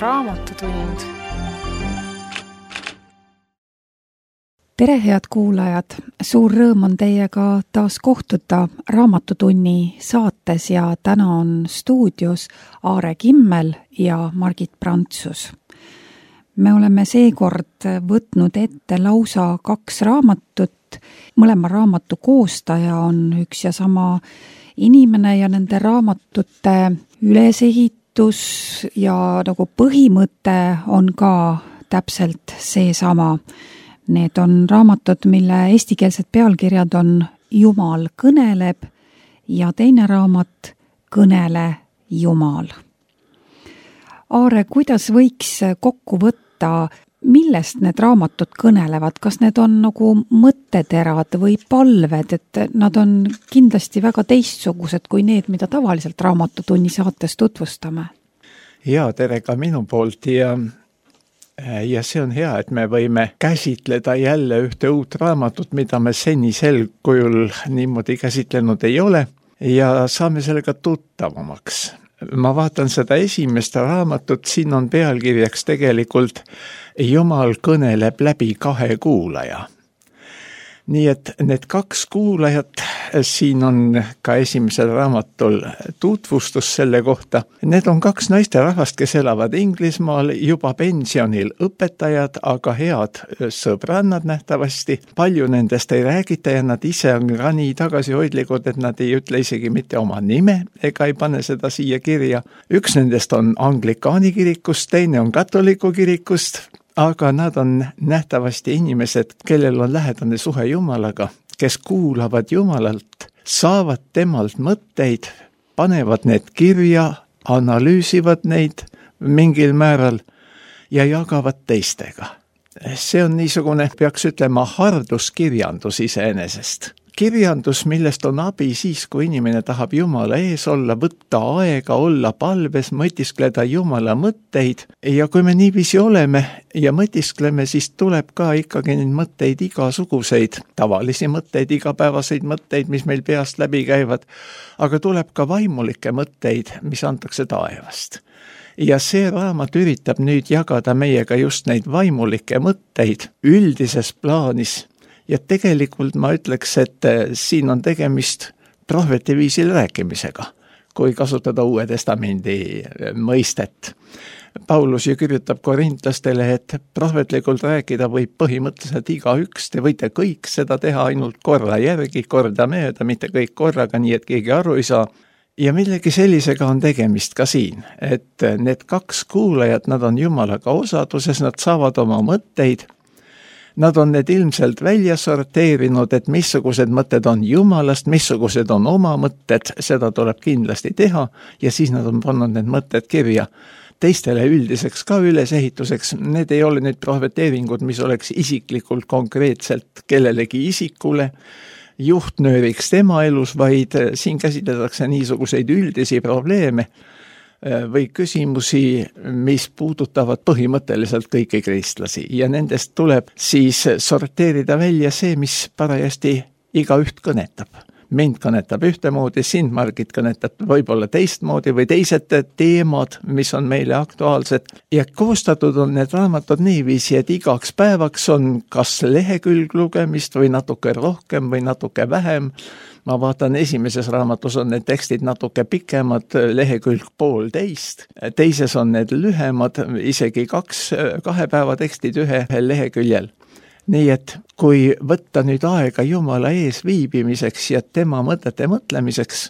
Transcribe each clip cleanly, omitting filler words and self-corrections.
Raamatutund. Tere, head kuulajad! Suur rõõm on teiega taas kohtuda Raamatutunni saates ja täna on stuudios Aare Kimmel ja Margit Prantsus. Me oleme seekord võtnud ette lausa 2 raamatut. Mõlema raamatu koostaja on üks ja sama inimene ja nende raamatute ülesehitus ja nagu põhimõte on ka täpselt seesama. Need on raamatud, mille eestikeelsed pealkirjad on Jumal kõneleb ja teine raamat Kõnele Jumal. Aare, kuidas võiks kokku võtta, millest need raamatud kõnelevad? Kas need on nagu mõtteterad või palved, et nad on kindlasti väga teistsugused kui need, mida tavaliselt Raamatutunni saates tutvustame? Ja, tere ka minu poolt ja see on hea, et me võime käsitleda jälle ühte uut raamatut, mida me senisel kujul niimoodi käsitlenud ei ole ja saame sellega tuttavamaks. Ma vaatan seda esimest raamatut, siin on pealkirjaks tegelikult Jumal kõneleb läbi 2 kuulaja. Nii et need 2 kuulajat, siin on ka esimesel raamatul tutvustus selle kohta. Need on 2 naisterahvast, kes elavad Inglismaal, juba pensionil õpetajad, aga head sõbrannad nähtavasti. Palju nendest ei räägita ja nad ise on ka nii tagasihoidlikud, et nad ei ütle isegi mitte oma nime ega ei pane seda siia kirja. Üks nendest on Anglikaani kirikust, teine on katoliku kirikust. Aga nad on nähtavasti inimesed, kellel on lähedane suhe Jumalaga, kes kuulavad Jumalalt, saavad temalt mõtteid, panevad need kirja, analüüsivad neid mingil määral ja jagavad teistega. See on niisugune, peaks ütlema, harduskirjandus iseenesest. Kirjandus, millest on abi siis, kui inimene tahab Jumala ees olla, võtta aega, olla palves, mõtiskleda Jumala mõtteid. Ja kui me niiviisi oleme ja mõtiskleme, siis tuleb ka ikkagi neid mõtteid igasuguseid, tavalisi mõtteid, igapäevaseid mõtteid, mis meil peast läbi käivad, aga tuleb ka vaimulikke mõtteid, mis antakse taevast. Ja see raamat üritab nüüd jagada meiega just neid vaimulikke mõtteid üldises plaanis. Ja tegelikult ma ütleks, et siin on tegemist prohveti viisil rääkimisega, kui kasutada Uue Testamendi mõistet. Paulus ju kirjutab korintlastele, et prohvetlikult rääkida võib põhimõtteliselt igaüks, te võite kõik seda teha ainult korra järgi, korda mööda, mitte kõik korraga, nii et keegi aru ei saa. Ja millegi sellisega on tegemist ka siin, et need 2 kuulajat, nad on Jumalaga osaduses, nad saavad oma mõtteid. Nad on need ilmselt välja sorteerinud, et missugused mõtted on Jumalast, missugused on oma mõtted, seda tuleb kindlasti teha ja siis nad on pannud need mõtted kirja teistele üldiseks ka ülesehituseks. Need ei ole nüüd prohveteeringud, mis oleks isiklikult konkreetselt kellelegi isikule juhtnööriks tema elus, vaid siin käsitletakse niisuguseid üldisi probleeme või küsimusi, mis puudutavad põhimõtteliselt kõiki kristlasi ja nendest tuleb siis sorteerida välja see, mis parajasti igaüht kõnetab. Mind kõnetab ühtemoodi, sind, Margit, kõnetab võib-olla teistmoodi või teised teemad, mis on meile aktuaalsed ja koostatud on need raamatud niiviisi, et igaks päevaks on kas lehekülg lugemist või natuke rohkem või natuke vähem. Ma vaatan, esimeses raamatus on need tekstid natuke pikemad, lehekülg 1,5. Teises on need lühemad, isegi 2 päeva tekstid 1 leheküljel. Nii et kui võtta nüüd aega Jumala ees viibimiseks ja tema mõtete mõtlemiseks,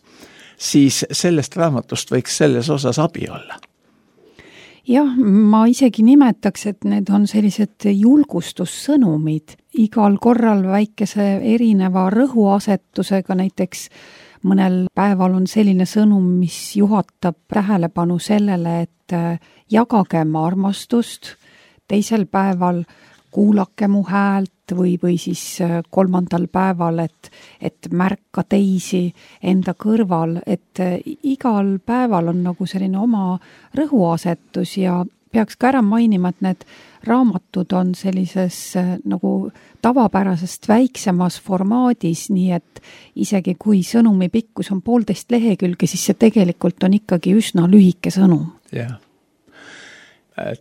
siis sellest raamatust võiks selles osas abi olla. Jah, ma isegi nimetaks, et need on sellised julgustussõnumid. Igal korral väikese erineva rõhuasetusega, näiteks mõnel päeval on selline sõnum, mis juhatab tähelepanu sellele, et jagagem armastust, teisel päeval kuulake mu häält või siis 3. päeval, et märka teisi enda kõrval, et igal päeval on nagu selline oma rõhuasetus ja peaks ka ära mainima, et need raamatud on sellises nagu tavapärasest väiksemas formaadis, nii et isegi kui sõnumi pikkus on 1,5 lehekülge, siis see tegelikult on ikkagi üsna lühike sõnum. Jah.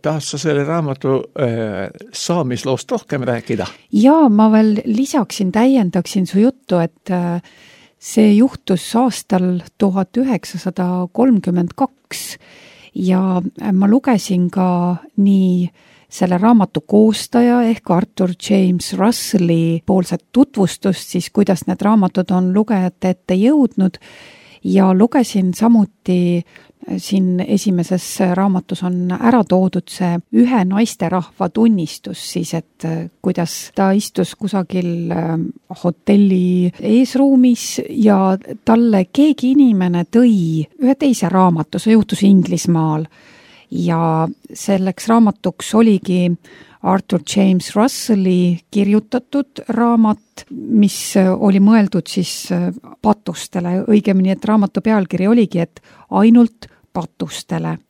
tahad sa selle raamatu saamisloost rohkem rääkida? Ja ma veel lisaksin, täiendaksin su juttu, et see juhtus aastal 1932 ja ma lugesin ka nii selle raamatu koostaja ehk Arthur James Russelli poolset tutvustust, siis kuidas need raamatud on lugejate ette jõudnud ja lugesin samuti siin esimeses raamatus on ära toodud see ühe naisterahva tunnistus siis, et kuidas ta istus kusagil hotelli eesruumis ja talle keegi inimene tõi ühe teise raamatu, see juhtus Inglismaal ja selleks raamatuks oligi Arthur James Russelli kirjutatud raamat, mis oli mõeldud siis patustele, õigemini, et raamatu pealkiri oligi, et ainult patustele.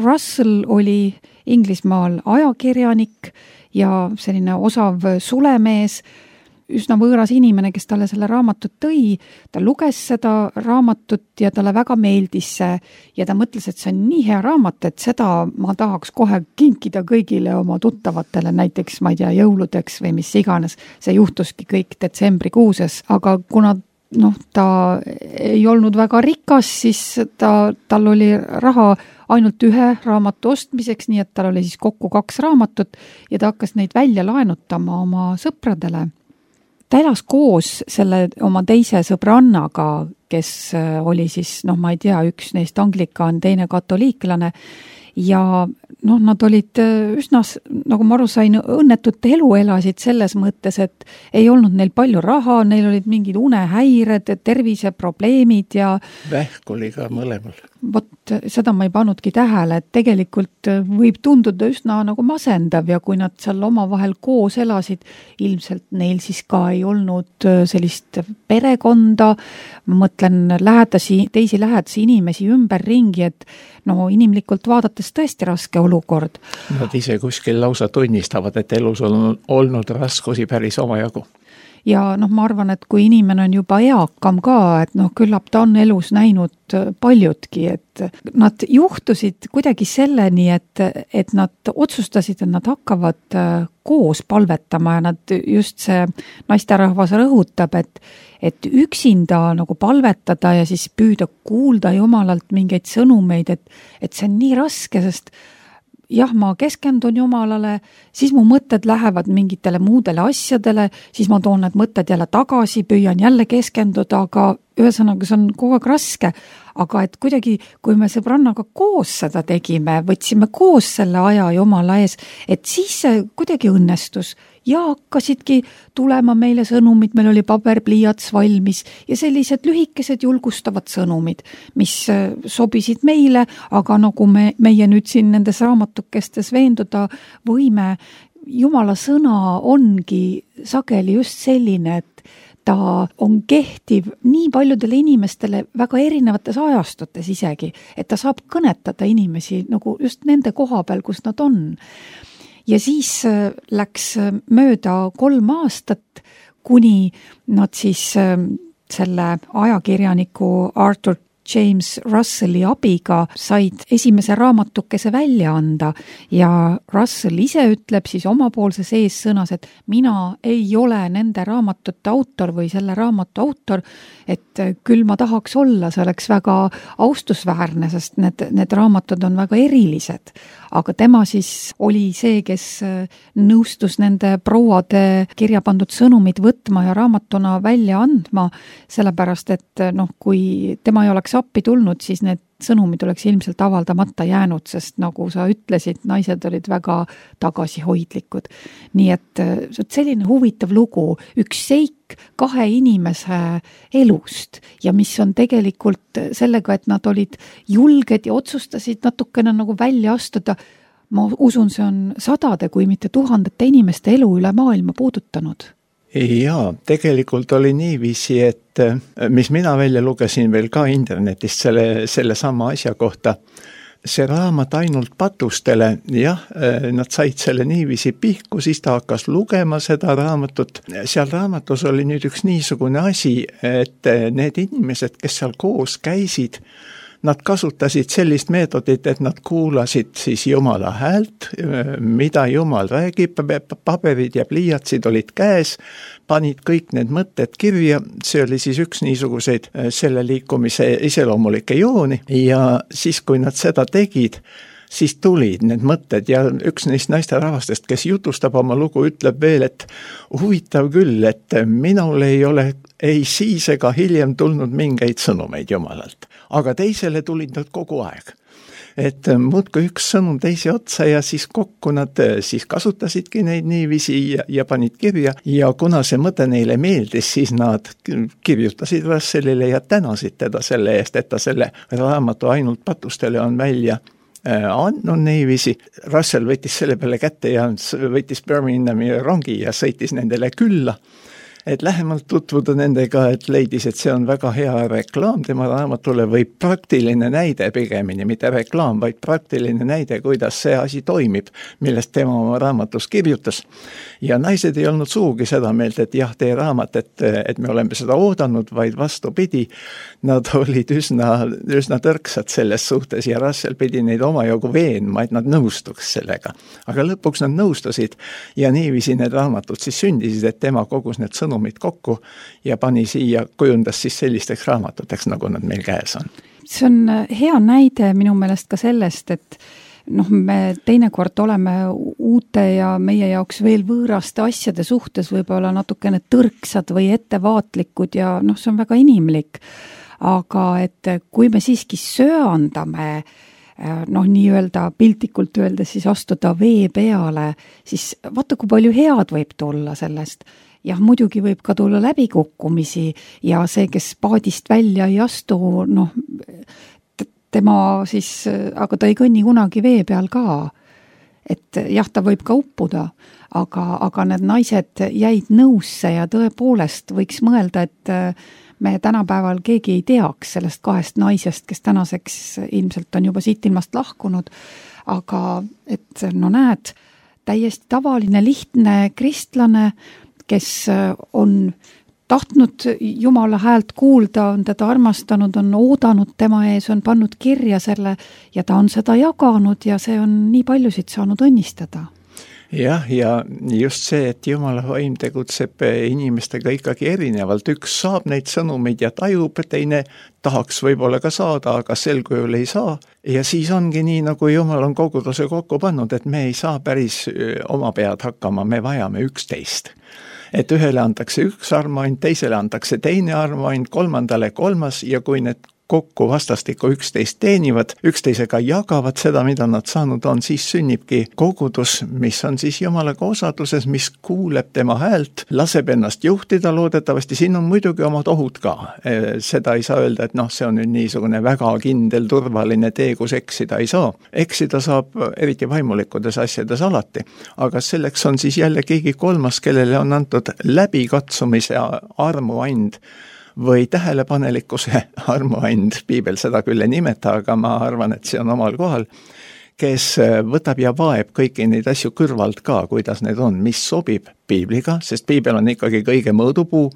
Russell oli Inglismaal ajakirjanik ja selline osav sulemees, üsna võõras inimene, kes talle selle raamatut tõi, ta luges seda raamatut ja talle väga meeldis see ja ta mõtles, et see on nii hea raamat, et seda ma tahaks kohe kinkida kõigile oma tuttavatele, näiteks, ma ei tea, jõuludeks või mis iganes. See juhtuski kõik detsembrikuuses, aga kuna ta ei olnud väga rikas, siis tal oli raha ainult ühe raamatu ostmiseks, nii et tal oli siis kokku 2 raamatut ja ta hakkas neid välja laenutama oma sõpradele. Ta elas koos selle oma teise sõbrannaga, kes oli siis, ma ei tea, üks neist anglikaan, teine katoliiklane ja nad olid üsna, nagu ma aru sain, õnnetut elu elasid selles mõttes, et ei olnud neil palju raha, neil olid mingid unehäired, terviseprobleemid ja vähk oli ka mõlemal. Vot seda ma ei pannudki tähele, et tegelikult võib tunduda üsna nagu masendav ja kui nad seal omavahel koos elasid, ilmselt neil siis ka ei olnud sellist perekonda, ma mõtlen teisi lähedasi inimesi ümberringi, et inimlikult vaadates tõesti raske olukord. Nad ise kuskil lausa tunnistavad, et elus on olnud raskusi päris omajagu. Ja ma arvan, et kui inimene on juba eakam ka, et küllap ta on elus näinud paljudki, et nad juhtusid kuidagi selleni, et nad otsustasid, et nad hakkavad koos palvetama ja nad just see naisterahvas rõhutab, et üksinda nagu palvetada ja siis püüda kuulda Jumalalt mingeid sõnumeid, et see on nii raske, sest jah, ma keskendun Jumalale, siis mu mõtted lähevad mingitele muudele asjadele, siis ma toon need mõtted jälle tagasi, püüan jälle keskenduda, aga ühesõnaga see on kogu aeg raske. Aga et kuidagi, kui me sõbrannaga koos seda tegime, võtsime koos selle aja Jumala ees, et siis see kuidagi õnnestus ja hakkasidki tulema meile sõnumid, meil oli paberpliiats valmis ja sellised lühikesed julgustavad sõnumid, mis sobisid meile, aga nagu meie nüüd siin nendes raamatukestes veenduda võime, Jumala sõna ongi sageli just selline, et ta on kehtiv nii paljudele inimestele väga erinevates ajastutes isegi, et ta saab kõnetada inimesi nagu just nende koha peal, kus nad on. Ja siis läks mööda 3 aastat, kuni nad siis selle ajakirjaniku Arthur James Russelli abiga said esimese raamatukese välja anda ja Russell ise ütleb siis omapoolses eessõnas, et mina ei ole nende raamatute autor või selle raamatu autor, et küll ma tahaks olla, see oleks väga austusväärne, sest need raamatud on väga erilised. Aga tema siis oli see, kes nõustus nende prouade kirja pandud sõnumid võtma ja raamatuna välja andma, sellepärast et kui tema ei oleks appi tulnud, siis need sõnumid oleks ilmselt avaldamata jäänud, sest nagu sa ütlesid, naised olid väga tagasihoidlikud. Nii et selline huvitav lugu, üks seik 2 inimese elust ja mis on tegelikult sellega, et nad olid julged ja otsustasid natukene nagu välja astuda. Ma usun, see on 100, kui mitte 1000 inimeste elu üle maailma puudutanud. Jaa, tegelikult oli niiviisi, et mis mina välja lugesin veel ka internetist selle sama asja kohta, see raamat ainult patustele, jah, nad said selle niiviisi pihku, siis ta hakkas lugema seda raamatut. Seal raamatus oli nüüd üks niisugune asi, et need inimesed, kes seal koos käisid, nad kasutasid sellist meetodit, et nad kuulasid siis Jumala häält, mida Jumal räägib, paberid ja pliiatsid olid käes, panid kõik need mõtted kirja, see oli siis üks niisuguseid selle liikumise iseloomulikke jooni ja siis, kui nad seda tegid, siis tulid need mõtted ja üks neist naisterahvastest, kes jutustab oma lugu, ütleb veel, et huvitav küll, et minul ei ole ei siis ega hiljem tulnud mingeid sõnumeid Jumalalt, aga teisele tulid nad kogu aeg. Et muudkui üks sõnum teise otsa ja siis kokku nad siis kasutasidki neid niiviisi ja panid kirja ja kuna see mõte neile meeldis, siis nad kirjutasid Russellile ja tänasid teda selle eest, et ta selle raamatu ainult patustele on välja andnud niiviisi. Russell võttis selle peale kätte ja võttis Birminghami rongi ja sõitis nendele külla, et lähemalt tutvuda nendega, et leidis, et see on väga hea reklaam tema raamatule või praktiline näide pigemini, mitte reklaam, vaid praktiline näide, kuidas see asi toimib, millest tema oma raamatus kirjutas. Ja naised ei olnud suugi seda meelt, et jah, tee raamat, et me oleme seda oodanud, vaid vastupidi, nad olid üsna tõrksad selles suhtes ja Russell pidi neid omajagu veenma, et nad nõustuks sellega. Aga lõpuks nad nõustusid ja niiviisi need raamatud siis sündisid, et tema kogus need sõnumid kokku ja pani siia, kujundas siis sellisteks raamatuteks, nagu nad meil käes on. See on hea näide minu meelest ka sellest, et me teinekord oleme uute ja meie jaoks veel võõraste asjade suhtes võib-olla natukene tõrksad või ettevaatlikud ja see on väga inimlik. Aga et kui me siiski söandame, nii-öelda piltlikult öeldes siis astuda vee peale, siis vaata, kui palju head võib tulla sellest. Jah, muidugi võib ka tulla läbikukkumisi ja see, kes paadist välja ei astu, tema siis, aga ta ei kõnni kunagi vee peal ka. Et jah, ta võib ka uppuda, aga need naised jäid nõusse ja tõepoolest võiks mõelda, et me tänapäeval keegi ei teaks sellest 2 naisest, kes tänaseks ilmselt on juba siit ilmast lahkunud, aga et näed, täiesti tavaline, lihtne kristlane, kes on tahtnud Jumala häält kuulda, on teda armastanud, on oodanud tema ees, on pannud kirja selle ja ta on seda jaganud ja see on nii paljusid saanud õnnistada. Jah, ja just see, et Jumala vaim tegutseb inimestega ikkagi erinevalt. Üks saab neid sõnumeid ja tajub, teine tahaks võib-olla ka saada, aga sel kujul ei saa. Ja siis ongi nii, nagu Jumal on koguduse kokku pannud, et me ei saa päris oma pead hakkama, me vajame üksteist. Et ühele antakse üks armuand, teisele antakse teine armuand, kolmandale kolmas ja kui need kokku vastastikku üksteist teenivad, üksteisega jagavad seda, mida nad saanud on, siis sünnibki kogudus, mis on siis Jumalaga osaduses, mis kuuleb tema häält, laseb ennast juhtida loodetavasti, siin on muidugi omad ohud ka. Seda ei saa öelda, et see on nüüd niisugune väga kindel, turvaline tee, kus eksida ei saa. Eksida saab eriti vaimulikkudes asjades alati, aga selleks on siis jälle keegi kolmas, kellele on antud läbikatsumise armuand, või tähelepanelikkuse armuand, piibel seda küll ei nimeta, aga ma arvan, et see on omal kohal, kes võtab ja vaeb kõiki neid asju kõrvalt ka, kuidas need on, mis sobib piibliga, sest piibel on ikkagi kõige mõõdupuu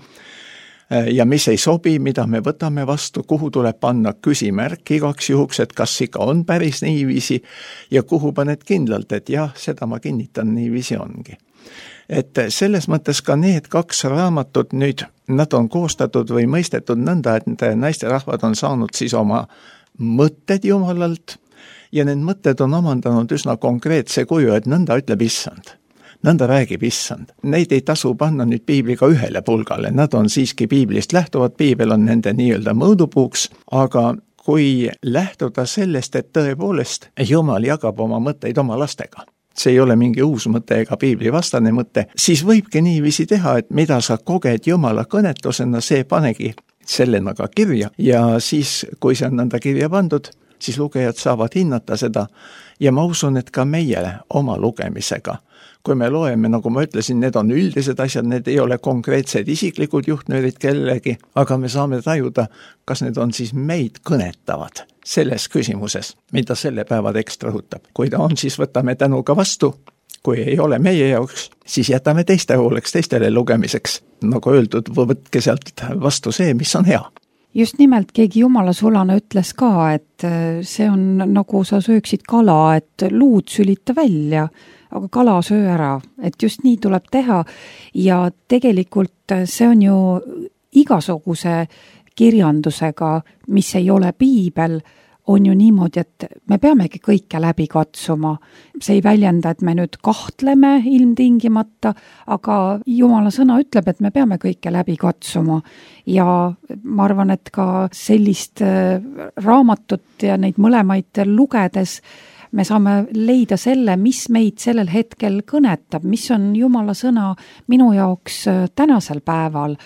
ja mis ei sobi, mida me võtame vastu, kuhu tuleb panna küsimärk igaks juhuks, et kas ikka on päris niiviisi ja kuhu paned kindlalt, et jah, seda ma kinnitan, niiviisi ongi. Et selles mõttes ka need 2 raamatut nüüd, nad on koostatud või mõistetud nõnda, et naisterahvad on saanud siis oma mõtted Jumalalt ja need mõtted on omandanud üsna konkreetse kuju, et nõnda ütleb Issand. Nõnda räägib Issand. Neid ei tasu panna nüüd piibliga ühele pulgale, nad on siiski piiblist lähtuvad, piibel on nende nii-öelda mõõdupuuks, aga kui lähtuda sellest, et tõepoolest Jumal jagab oma mõtteid oma lastega, see ei ole mingi uus mõte ega piibli vastane mõte, siis võibki niiviisi teha, et mida sa koged Jumala kõnetusena, see panegi sellena ka kirja ja siis, kui see on nõnda kirja pandud, siis lugejad saavad hinnata seda ja ma usun, et ka meie oma lugemisega. Kui me loeme, nagu ma ütlesin, need on üldised asjad, need ei ole konkreetsed isiklikud juhtnöörid kellegi, aga me saame tajuda, kas need on siis meid kõnetavad selles küsimuses, mida selle päeva tekst rõhutab. Kui ta on, siis võtame tänuga vastu. Kui ei ole meie jaoks, siis jätame teiste hooleks, teistele lugemiseks. Nagu öeldud, võtke sealt vastu see, mis on hea. Just nimelt keegi jumalasulane ütles ka, et see on nagu sa sööksid kala, et luud sülita välja, aga kala söö ära, et just nii tuleb teha ja tegelikult see on ju igasuguse kirjandusega, mis ei ole piibel, on ju niimoodi, et me peamegi kõike läbi katsuma. See ei väljenda, et me nüüd kahtleme ilmtingimata, aga Jumala sõna ütleb, et me peame kõike läbi katsuma. Ja ma arvan, et ka sellist raamatut ja neid mõlemaid lugedes me saame leida selle, mis meid sellel hetkel kõnetab, mis on Jumala sõna minu jaoks tänasel päeval.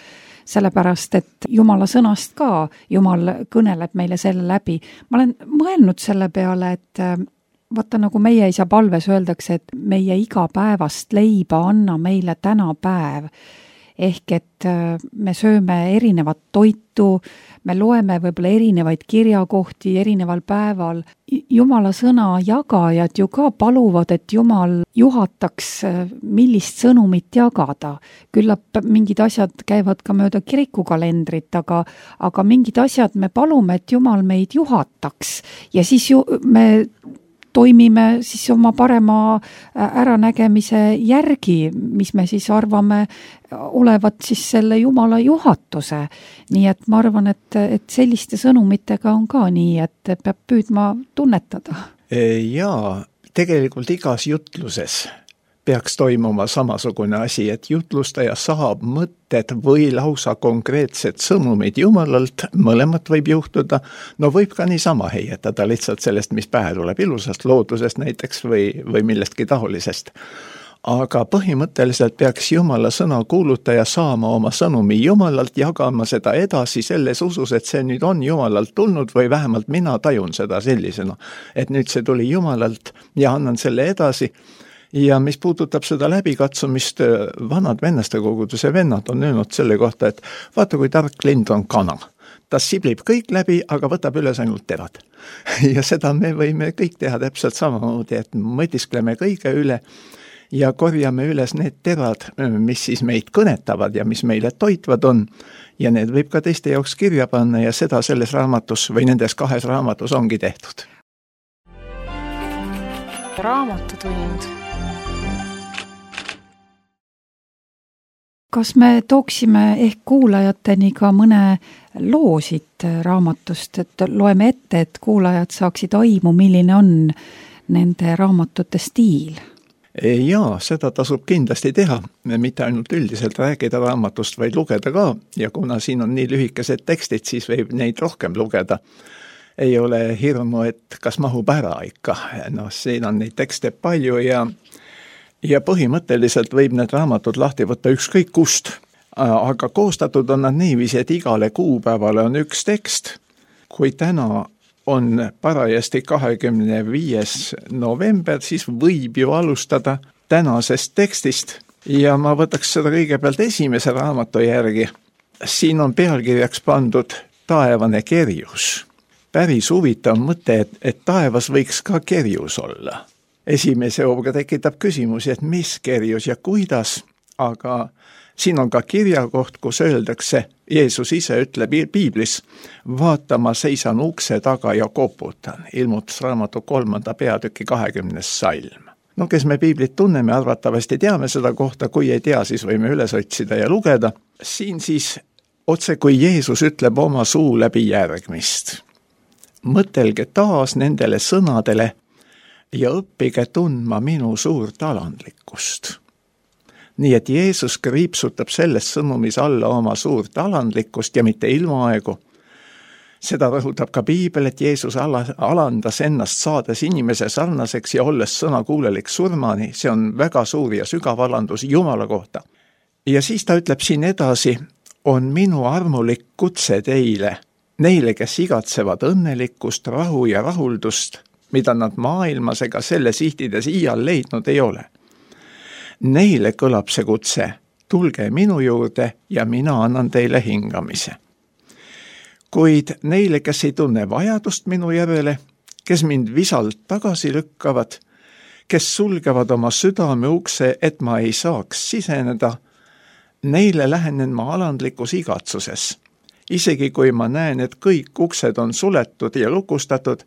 Sellepärast, et Jumala sõnast ka, Jumal kõneleb meile selle läbi. Ma olen mõelnud selle peale, et vaata nagu meie isa palves öeldakse, et meie igapäevast leiba anna meile täna päev. Ehk et me sööme erinevat toitu, me loeme võib-olla erinevaid kirjakohti erineval päeval. Jumala sõna jagajad ju ka paluvad, et Jumal juhataks, millist sõnumit jagada. Küllap mingid asjad käivad ka mööda kirikukalendrit, aga mingid asjad me palume, et Jumal meid juhataks ja siis me toimime siis oma parema äranägemise järgi, mis me siis arvame olevat siis selle Jumala juhatuse. Nii et ma arvan, et selliste sõnumitega on ka nii, et peab püüdma tunnetada. Jaa, tegelikult igas jutluses peaks toimuma samasugune asi, et jutlustaja saab mõtted või lausa konkreetsed sõnumid Jumalalt, mõlemat võib juhtuda, no võib ka niisama heietada lihtsalt sellest, mis pähe tuleb ilusast loodusest näiteks või millestki taolisest. Aga põhimõtteliselt peaks Jumala sõna kuulutaja saama oma sõnumi Jumalalt, jagama seda edasi selles usus, et see nüüd on Jumalalt tulnud või vähemalt mina tajun seda sellisena, et nüüd see tuli Jumalalt ja annan selle edasi. Ja mis puudutab seda läbikatsumist, vanad vennaste koguduse vennad on öelnud selle kohta, et vaata kui tark lind on kana. Ta siblib kõik läbi, aga võtab üles ainult terad. Ja seda me võime kõik teha täpselt samamoodi, et mõtiskleme kõige üle ja korjame üles need terad, mis siis meid kõnetavad ja mis meile toitvad on. Ja need võib ka teiste jaoks kirja panna ja seda selles raamatus või nendes 2 raamatus ongi tehtud. Raamatutund. Kas me tooksime ehk kuulajateni ka mõne loosid raamatust, et loeme ette, et kuulajad saaksid aimu, milline on nende raamatute stiil? Jaa, seda tasub kindlasti teha, mitte ainult üldiselt rääkida raamatust, vaid lugeda ka, ja kuna siin on nii lühikesed tekstid, siis võib neid rohkem lugeda. Ei ole hirmu, et kas mahub ära ikka, no siin on neid tekste palju ja põhimõtteliselt võib need raamatud lahti võtta ükskõik kust, aga koostatud on nad niiviisi, et igale kuupäevale on üks tekst. Kui täna on parajasti 25. november, siis võib ju alustada tänasest tekstist ja ma võtaks seda kõigepealt esimese raamatu järgi. Siin on pealkirjaks pandud taevane kerjus. Päris huvitav mõte, et taevas võiks ka kerjus olla. Esimese hooga tekitab küsimusi, et mis kerjus ja kuidas, aga siin on ka kirjakoht, kus öeldakse, Jeesus ise ütleb piiblis, vaata, ma seisan ukse taga ja koputan, ilmutusraamatu 3. peatüki 20. salm. No kes me piiblit tunneme, arvatavasti teame seda kohta, kui ei tea, siis võime üles otsida ja lugeda. Siin siis otse kui Jeesus ütleb oma suu läbi järgmist. Mõtelge taas nendele sõnadele ja õppige tundma minu suurt alandlikkust. Nii et Jeesus kriipsutab selles sõnumis alla oma suurt alandlikkust ja mitte ilmaaegu. Seda rõhutab ka piibel, et Jeesus alandas ennast saades inimese sarnaseks ja olles sõnakuulelik surmani. See on väga suur ja sügav alandus Jumala kohta. Ja siis ta ütleb siin edasi, on minu armulik kutse teile, neile, kes igatsevad õnnelikkust, rahu ja rahuldust, mida nad maailmas ega selle sihtides iial leidnud ei ole. Neile kõlab see kutse, tulge minu juurde ja mina annan teile hingamise. Kuid neile, kes ei tunne vajadust minu järele, kes mind visalt tagasi lükkavad, kes sulgevad oma südame ukse, et ma ei saaks siseneda, neile lähenen ma alandlikus igatsuses Isegi kui ma näen, et kõik uksed on suletud ja lukustatud,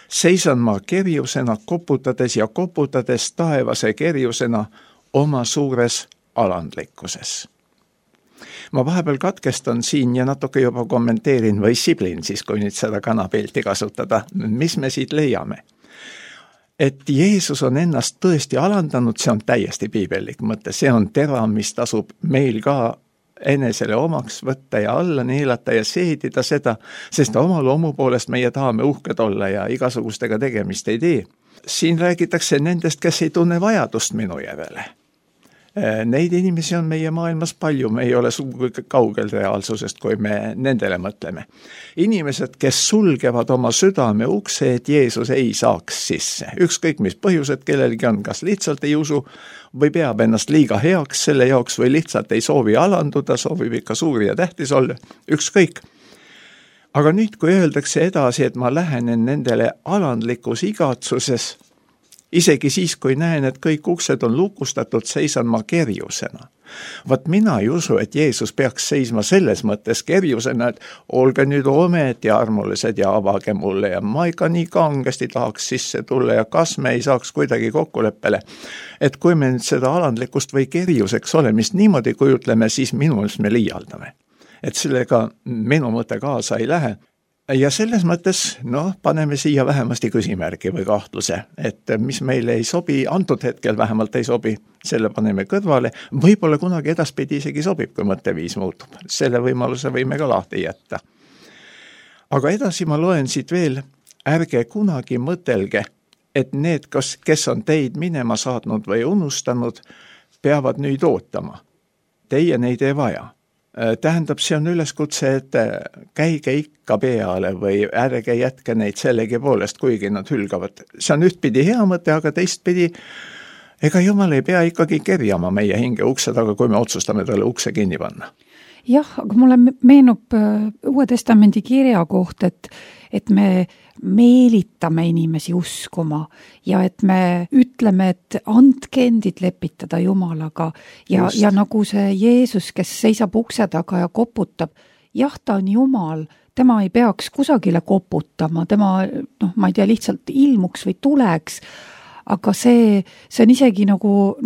seisan ma kerjusena koputades ja koputades taevase kerjusena oma suures alandlikkuses. Ma vahepeal katkestan siin ja natuke juba kommenteerin või siblin siis, kui nüüd seda kanapilti kasutada, mis me siit leiame. Et Jeesus on ennast tõesti alandanud, see on täiesti piibellik mõte, see on tera, mis tasub meil ka enesele omaks võtta ja alla neelata ja seedida seda, sest oma loomu poolest meie tahame uhked olla ja igasugustega tegemist ei tee. Siin räägitakse nendest, kes ei tunne vajadust minu järele. Neid inimesi on meie maailmas palju, me ei ole sugugi kaugel reaalsusest, kui me nendele mõtleme. Inimesed, kes sulgevad oma südame ukse, et Jeesus ei saaks sisse. Ükskõik mis põhjused kellelgi on, kas lihtsalt ei usu või peab ennast liiga heaks selle jaoks või lihtsalt ei soovi alanduda, soovib ikka suur ja tähtis olla, ükskõik. Aga nüüd, kui öeldakse edasi, et ma lähenen nendele alandlikus igatsuses, isegi siis, kui näen, et kõik uksed on lukustatud, seisan ma kerjusena. Vat mina ei usu, et Jeesus peaks seisma selles mõttes kerjusena, et olge nüüd omed ja armulised ja avage mulle ja ma ikka nii kangesti tahaks sisse tulla ja kas me ei saaks kuidagi kokkuleppele. Et kui me nüüd seda alandlikust või kerjuseks olemist niimoodi kujutleme, siis minu meelest me liialdame. Et sellega minu mõte kaasa ei lähe. Ja selles mõttes, paneme siia vähemasti küsimärgi või kahtluse, et mis meile ei sobi, antud hetkel vähemalt ei sobi, selle paneme kõrvale, võib-olla kunagi edaspidi isegi sobib, kui mõtteviis muutub. Selle võimaluse võime ka lahti jätta. Aga edasi ma loen siit veel, ärge kunagi mõtelge, et need, kes on teid minema saatnud või unustanud, peavad nüüd ootama. Teie neid ei vaja. Tähendab, see on üleskutse, et käige ikka peale või ärge jätke neid sellegi poolest, kuigi nad hülgavad. See on ühtpidi hea mõte, aga teistpidi, ega Jumal ei pea ikkagi kerjama meie hinge ukse taga, kui me otsustame talle ukse kinni panna. Jah, aga mulle meenub Uue Testamendi kirja koht, et me meelitame inimesi uskuma ja et me ütleme, et andke endid lepitada Jumalaga ja nagu see Jeesus, kes seisab ukse taga ja koputab, jah, ta on Jumal, tema ei peaks kusagile koputama, tema, ma ei tea, lihtsalt ilmuks või tuleks, aga see on isegi nagu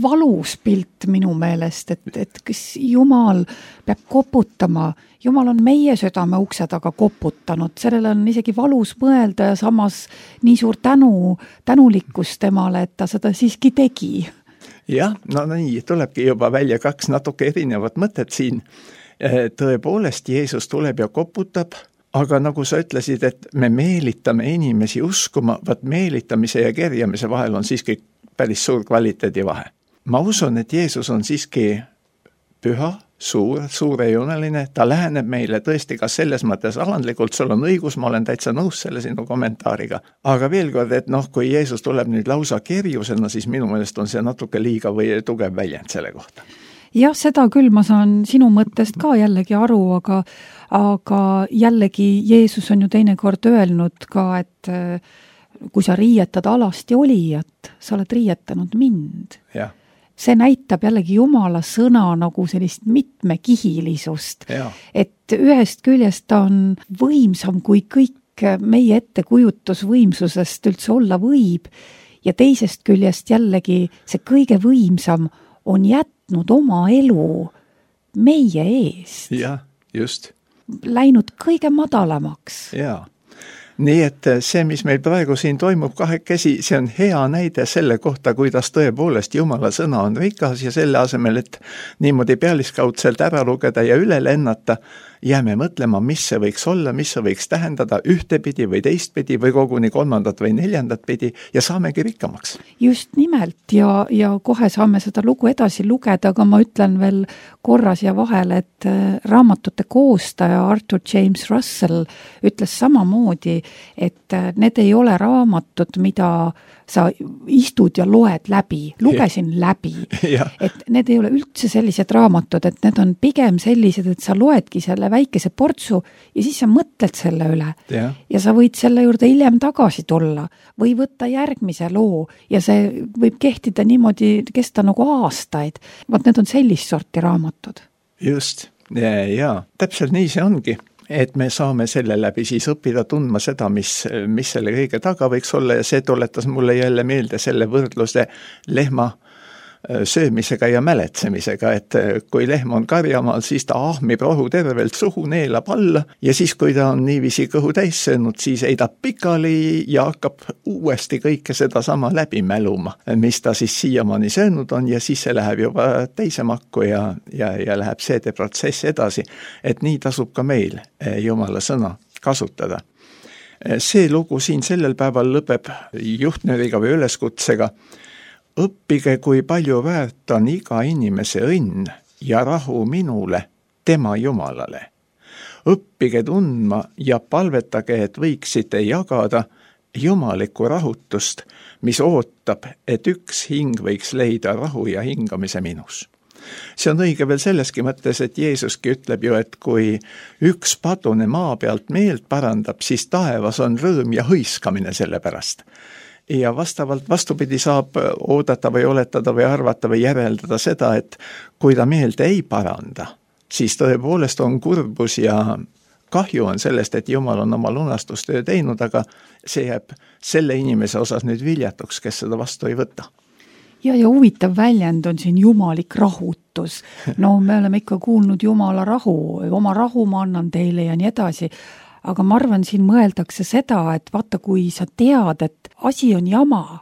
valus pilt minu meelest, et kes Jumal peab koputama. Jumal on meie südame ukse taga koputanud, sellele on isegi valus mõelda ja samas nii suur tänulikkus temale, et ta seda siiski tegi. Jah, nii, tulebki juba välja kaks natuke erinevat mõtet siin. Tõepoolest, Jeesus tuleb ja koputab, aga nagu sa ütlesid, et me meelitame inimesi uskuma, meelitamise ja kerjamise vahel on siiski päris suur kvaliteedi vahe. Ma usun, et Jeesus on siiski püha, suurejuneline, ta läheneb meile tõesti ka selles mõttes alandlikult, sul on õigus, ma olen täitsa nõus selle sinu kommentaariga. Aga veel kord, et kui Jeesus tuleb nüüd lausa kerjusena, siis minu meelest on see natuke liiga või tugev väljend selle kohta. Jah, seda küll ma saan sinu mõttest ka jällegi aru, aga jällegi Jeesus on ju teinekord öelnud ka, et kui sa riietad alasti olijat, sa oled riietanud mind. Ja. See näitab jällegi Jumala sõna nagu sellist mitmekihilisust, et ühest küljest ta on võimsam kui kõik meie ettekujutusvõimsusest üldse olla võib ja teisest küljest jällegi see kõige võimsam on jätnud oma elu meie eest. Jah, just. Läinud kõige madalamaks. Jaa. Nii et see, mis meil praegu siin toimub kahekesi, see on hea näide selle kohta, kuidas tõepoolest Jumala sõna on rikas ja selle asemel, et niimoodi pealiskaudselt ära lugeda ja üle lennata, jääme mõtlema, mis see võiks olla, mis see võiks tähendada ühtepidi või teistpidi või koguni kolmandat või neljandat pidi ja saamegi rikkamaks. Just nimelt ja kohe saame seda lugu edasi lugeda, aga ma ütlen veel korra siia vahele, et raamatute koostaja Arthur James Russell ütles samamoodi, et need ei ole raamatud, mida sa istud ja loed läbi, lugesin läbi, et need ei ole üldse sellised raamatud, et need on pigem sellised, et sa loedki selle väikese portsu ja siis sa mõtled selle üle ja sa võid selle juurde hiljem tagasi tulla või võtta järgmise loo ja see võib kehtida niimoodi, kesta nagu aastaid. Vaat need on sellist sorti raamatud. Just. Jaa, täpselt nii see ongi, et me saame selle läbi siis õppida tundma seda, mis selle kõige taga võiks olla ja see tuletas mulle jälle meelde selle võrdluse lehma söömisega ja mäletsemisega, et kui lehm on karjamaal, siis ta ahmib rohu tervelt suhu, neelab alla ja siis, kui ta on niiviisi kõhu täis söönud, siis heidab pikali ja hakkab uuesti kõike seda sama läbi mäluma, mis ta siis siiamaani söönud on ja siis see läheb juba teise makku ja läheb seedeprotsess edasi, et nii tasub ka meil Jumala sõna kasutada. See lugu siin sellel päeval lõpeb juhtnööriga või üleskutsega: õppige, kui palju väärt on iga inimese õnn ja rahu minule, tema Jumalale. Õppige tundma ja palvetage, et võiksite jagada jumalikku rahutust, mis ootab, et üks hing võiks leida rahu ja hingamise minus. See on õige veel selleski mõttes, et Jeesuski ütleb ju, et kui üks padune maa pealt meelt parandab, siis taevas on rõõm ja hõiskamine selle pärast. Ja vastavalt vastupidi saab oodata või oletada või arvata või järeldada seda, et kui ta meelt ei paranda, siis tõepoolest on kurbus ja kahju on sellest, et Jumal on oma lunastustöö teinud, aga see jääb selle inimese osas nüüd viljatuks, kes seda vastu ei võta. Ja huvitav väljend on siin jumalik rahutus. No me oleme ikka kuulnud Jumala rahu, oma rahu ma annan teile ja nii edasi. Aga ma arvan, siin mõeldakse seda, et vaata, kui sa tead, et asi on jama,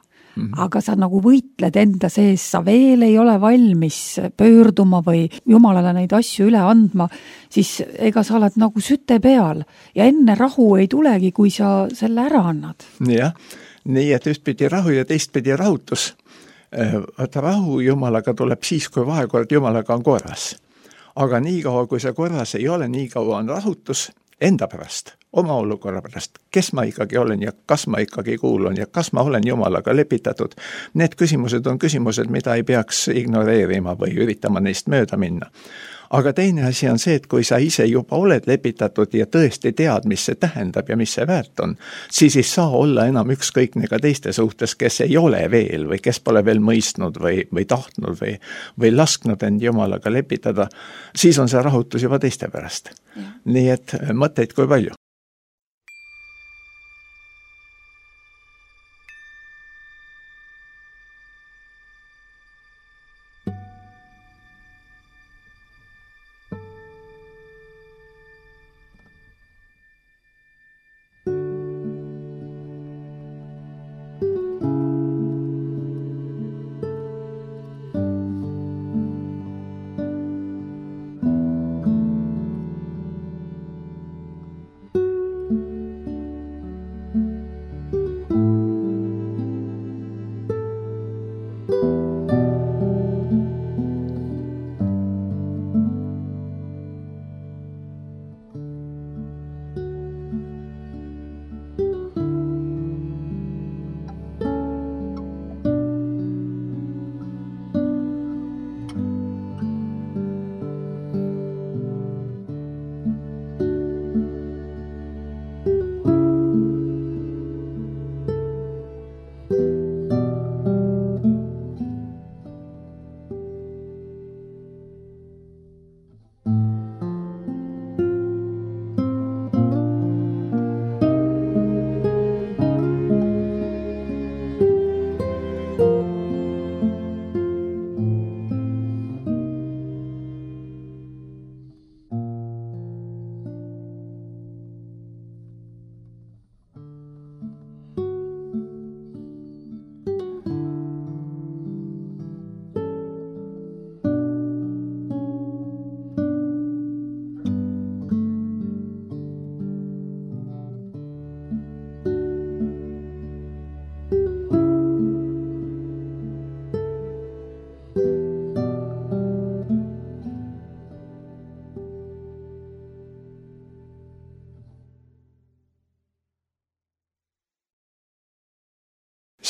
aga sa nagu võitled enda sees, sa veel ei ole valmis pöörduma või Jumalale neid asju üle andma, siis ega sa oled nagu süte peal ja enne rahu ei tulegi, kui sa selle ära annad. Jah, nii et ühtpidi rahu ja teistpidi rahutus. Rahu Jumalaga tuleb siis, kui vahekord Jumalaga on korras. Aga nii kaua, kui see korras ei ole, nii kaua on rahutus enda pärast, oma olukorra pärast, kes ma ikkagi olen ja kas ma ikkagi kuulun ja kas ma olen Jumalaga lepitatud. Need küsimused on küsimused, mida ei peaks ignoreerima või üritama neist mööda minna. Aga teine asi on see, et kui sa ise juba oled lepitatud ja tõesti tead, mis see tähendab ja mis see väärt on, siis ei saa olla enam ükskõikne ka teiste suhtes, kes ei ole veel või kes pole veel mõistnud või tahtnud või lasknud end Jumalaga lepitada, siis on see rahutus juba teiste pärast. Ja. Nii et mõtteid kui palju.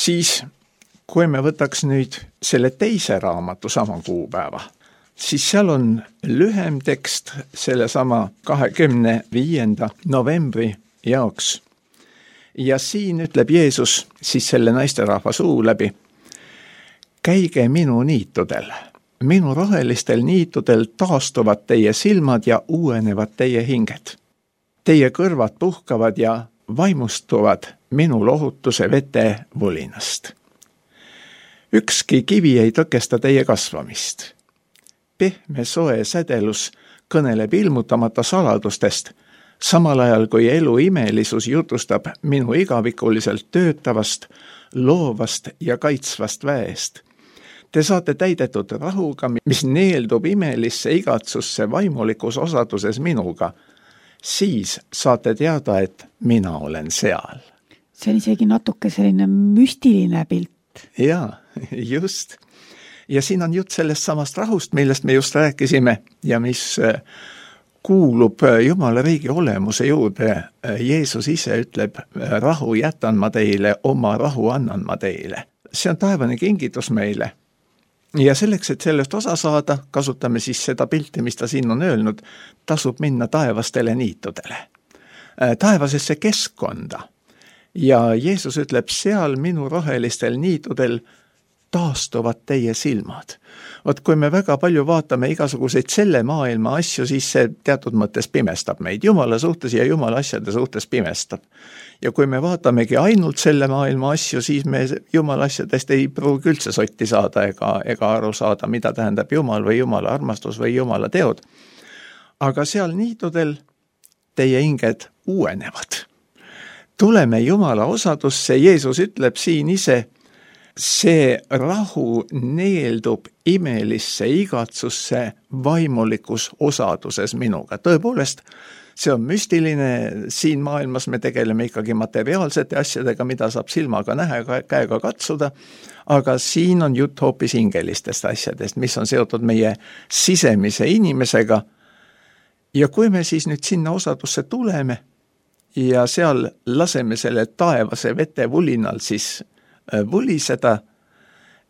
Siis, kui me võtaks nüüd selle teise raamatu sama kuupäeva, siis seal on lühem tekst selle sama 25. novembri jaoks. Ja siin ütleb Jeesus siis selle naisterahva suu läbi: käige minu niitudel minu rohelistel niitudel taastuvad teie silmad ja uuenevad teie hinged. Teie kõrvad puhkavad ja vaimustuvad minu lohutuse vete vulinast. Ükski kivi ei tõkesta teie kasvamist. Pehme soe sädelus kõneleb ilmutamata saladustest, samal ajal kui elu imelisus jutustab minu igavikuliselt töötavast, loovast ja kaitsvast väest. Te saate täidetud rahuga, mis neeldub imelisse igatsusse vaimulikus osaduses minuga. Siis saate teada, et mina olen seal. See on isegi natuke selline müstiline pilt. Jaa, just. Ja siin on jutt sellest samast rahust, millest me just rääkisime ja mis kuulub Jumala riigi olemuse juurde. Jeesus ise ütleb, rahu jätan ma teile, oma rahu annan ma teile. See on taevane kingitus meile. Ja selleks, et sellest osa saada, kasutame siis seda pilti, mis ta siin on öelnud, tasub minna taevastele niitudele. Taevasesse keskkonda. Ja Jeesus ütleb, seal minu rohelistel niitudel taastuvad teie silmad. Vot kui me väga palju vaatame igasuguseid selle maailma asju, siis see teatud mõttes pimestab meid. Jumala suhtes ja Jumala asjade suhtes pimestab. Ja kui me vaatamegi ainult selle maailma asju, siis me Jumala asjadest ei pruugi üldse sotti saada ega aru saada, mida tähendab Jumal või Jumala armastus või Jumala teod. Aga seal niitudel teie hinged uuenevad. Tuleme Jumala osadusse, Jeesus ütleb siin ise, see rahu neeldub imelisse igatsusse vaimulikus osaduses minuga. Tõepoolest, see on müstiline, siin maailmas me tegeleme ikkagi materiaalsete asjadega, mida saab silmaga näha, käega katsuda, aga siin on jutt hoopis hingelistest asjadest, mis on seotud meie sisemise inimesega. Ja kui me siis nüüd sinna osadusse tuleme ja seal laseme selle taevase vete vulinal siis vuliseda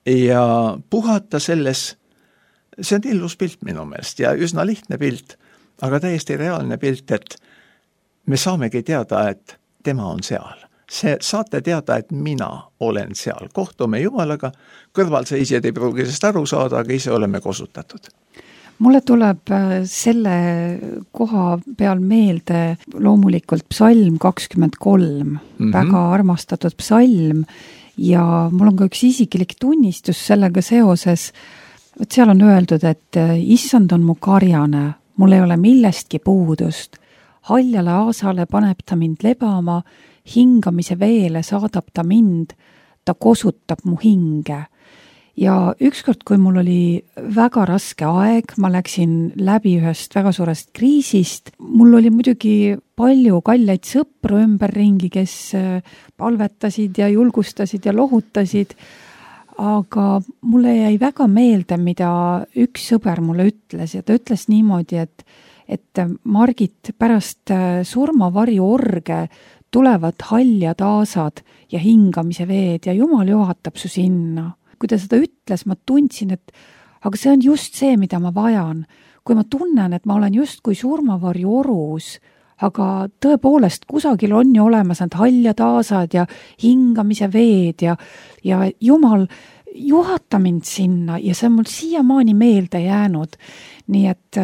ja puhata selles, see on illus pilt minu meelest ja üsna lihtne pilt, aga täiesti reaalne pilt, et me saamegi teada, et tema on seal. Saate teada, et mina olen seal. Kohtume Jumalaga, kõrvalseisjad ei pruugi sest aru saada, aga ise oleme kosutatud. Mulle tuleb selle koha peal meelde loomulikult psalm 23, väga armastatud psalm, ja mul on ka üks isiklik tunnistus sellega seoses, et seal on öeldud, et issand on mu karjane, mul ei ole millestki puudust. Haljale aasale paneb ta mind lebama, hingamise veele saadab ta mind, ta kosutab mu hinge. Ja ükskord, kui mul oli väga raske aeg, ma läksin läbi ühest väga suurest kriisist, mul oli muidugi palju kalleid sõpru ümberringi, kes palvetasid ja julgustasid ja lohutasid, aga mulle jäi väga meelde, mida üks sõber mulle ütles ja ta ütles niimoodi, et Margit, pärast surmavarju orge tulevad haljad aasad ja hingamise veed ja Jumal juhatab su sinna. Kui ta seda ütles, ma tundsin, et aga see on just see, mida ma vajan. Kui ma tunnen, et ma olen just kui surmavarju orus, aga tõepoolest kusagil on ju olemas need haljad aasad ja hingamise veed ja Jumal juhata mind sinna ja see on mul siiamaani meelde jäänud. Nii et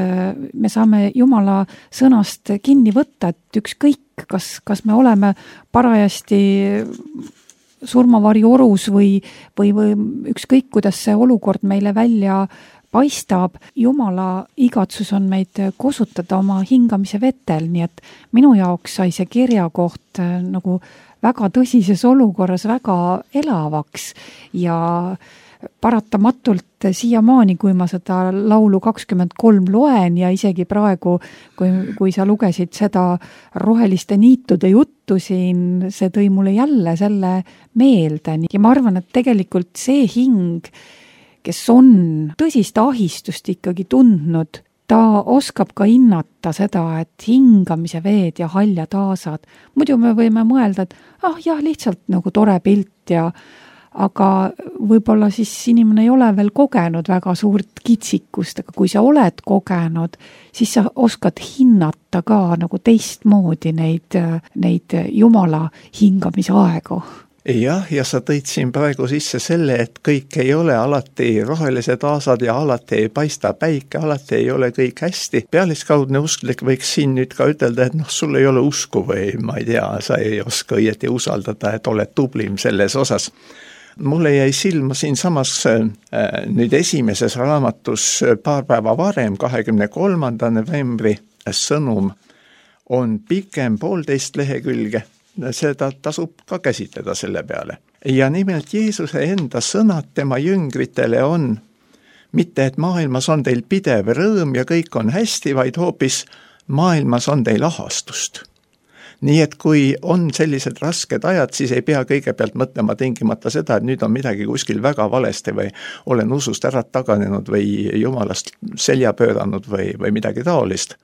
me saame Jumala sõnast kinni võtta, et ükskõik, kas me oleme parajasti surmavarju orus või ükskõik, kuidas see olukord meile välja paistab, Jumala igatsus on meid kosutada oma hingamise vetel, nii et minu jaoks sai see kirjakoht nagu väga tõsises olukorras väga elavaks ja paratamatult siiamaani, kui ma seda laulu 23 loen ja isegi praegu, kui sa lugesid seda roheliste niitude juttu siin, see tõi mulle jälle selle meelde. Ja ma arvan, et tegelikult see hing, kes on tõsist ahistust ikkagi tundnud, ta oskab ka hinnata seda, et hingamise veed ja haljad aasad. Muidu me võime mõelda, et jah, lihtsalt nagu tore pilt aga võib-olla siis inimene ei ole veel kogenud väga suurt kitsikust, aga kui sa oled kogenud, siis sa oskad hinnata ka nagu teistmoodi neid Jumala hingamise aegu. Jah, ja sa tõid siin praegu sisse selle, et kõik ei ole alati rohelised aasad ja alati ei paista päike, alati ei ole kõik hästi. Pealiskaudne usklik võiks siin nüüd ka ütelda, et sul ei ole usku või ma ei tea, sa ei oska õieti usaldada, et oled tublim selles osas. Mulle jäi silma siin samas nüüd esimeses raamatus paar päeva varem, 23. novembri sõnum on pikem 1,5 lehekülge. Seda tasub ka käsitleda selle peale. Ja nimelt Jeesuse enda sõnad tema jüngritele on mitte, et maailmas on teil pidev rõõm ja kõik on hästi, vaid hoopis maailmas on teil ahastust. Nii et kui on sellised rasked ajad, siis ei pea kõigepealt mõtlema tingimata seda, et nüüd on midagi kuskil väga valesti või olen usust ära taganenud või jumalast selja pööranud või midagi taolist.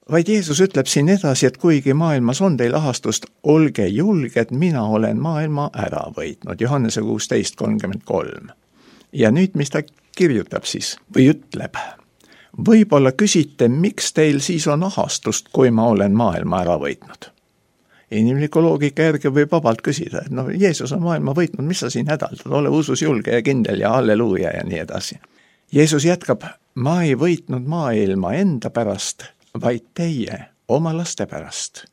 Vaid Jeesus ütleb siin edasi, et kuigi maailmas on teil ahastust, olge julged, mina olen maailma ära võitnud. Johannese 16:33. Ja nüüd, mis ta kirjutab siis või ütleb? Võib-olla küsite, miks teil siis on ahastust, kui ma olen maailma ära võitnud? Inimliku loogika järgi võib vabalt küsida, et Jeesus on maailma võitnud, mis sa siin hädaldad, ole usus julge ja kindel ja halleluuja ja nii edasi. Jeesus jätkab, ma ei võitnud maailma enda pärast, vaid teie oma laste pärast.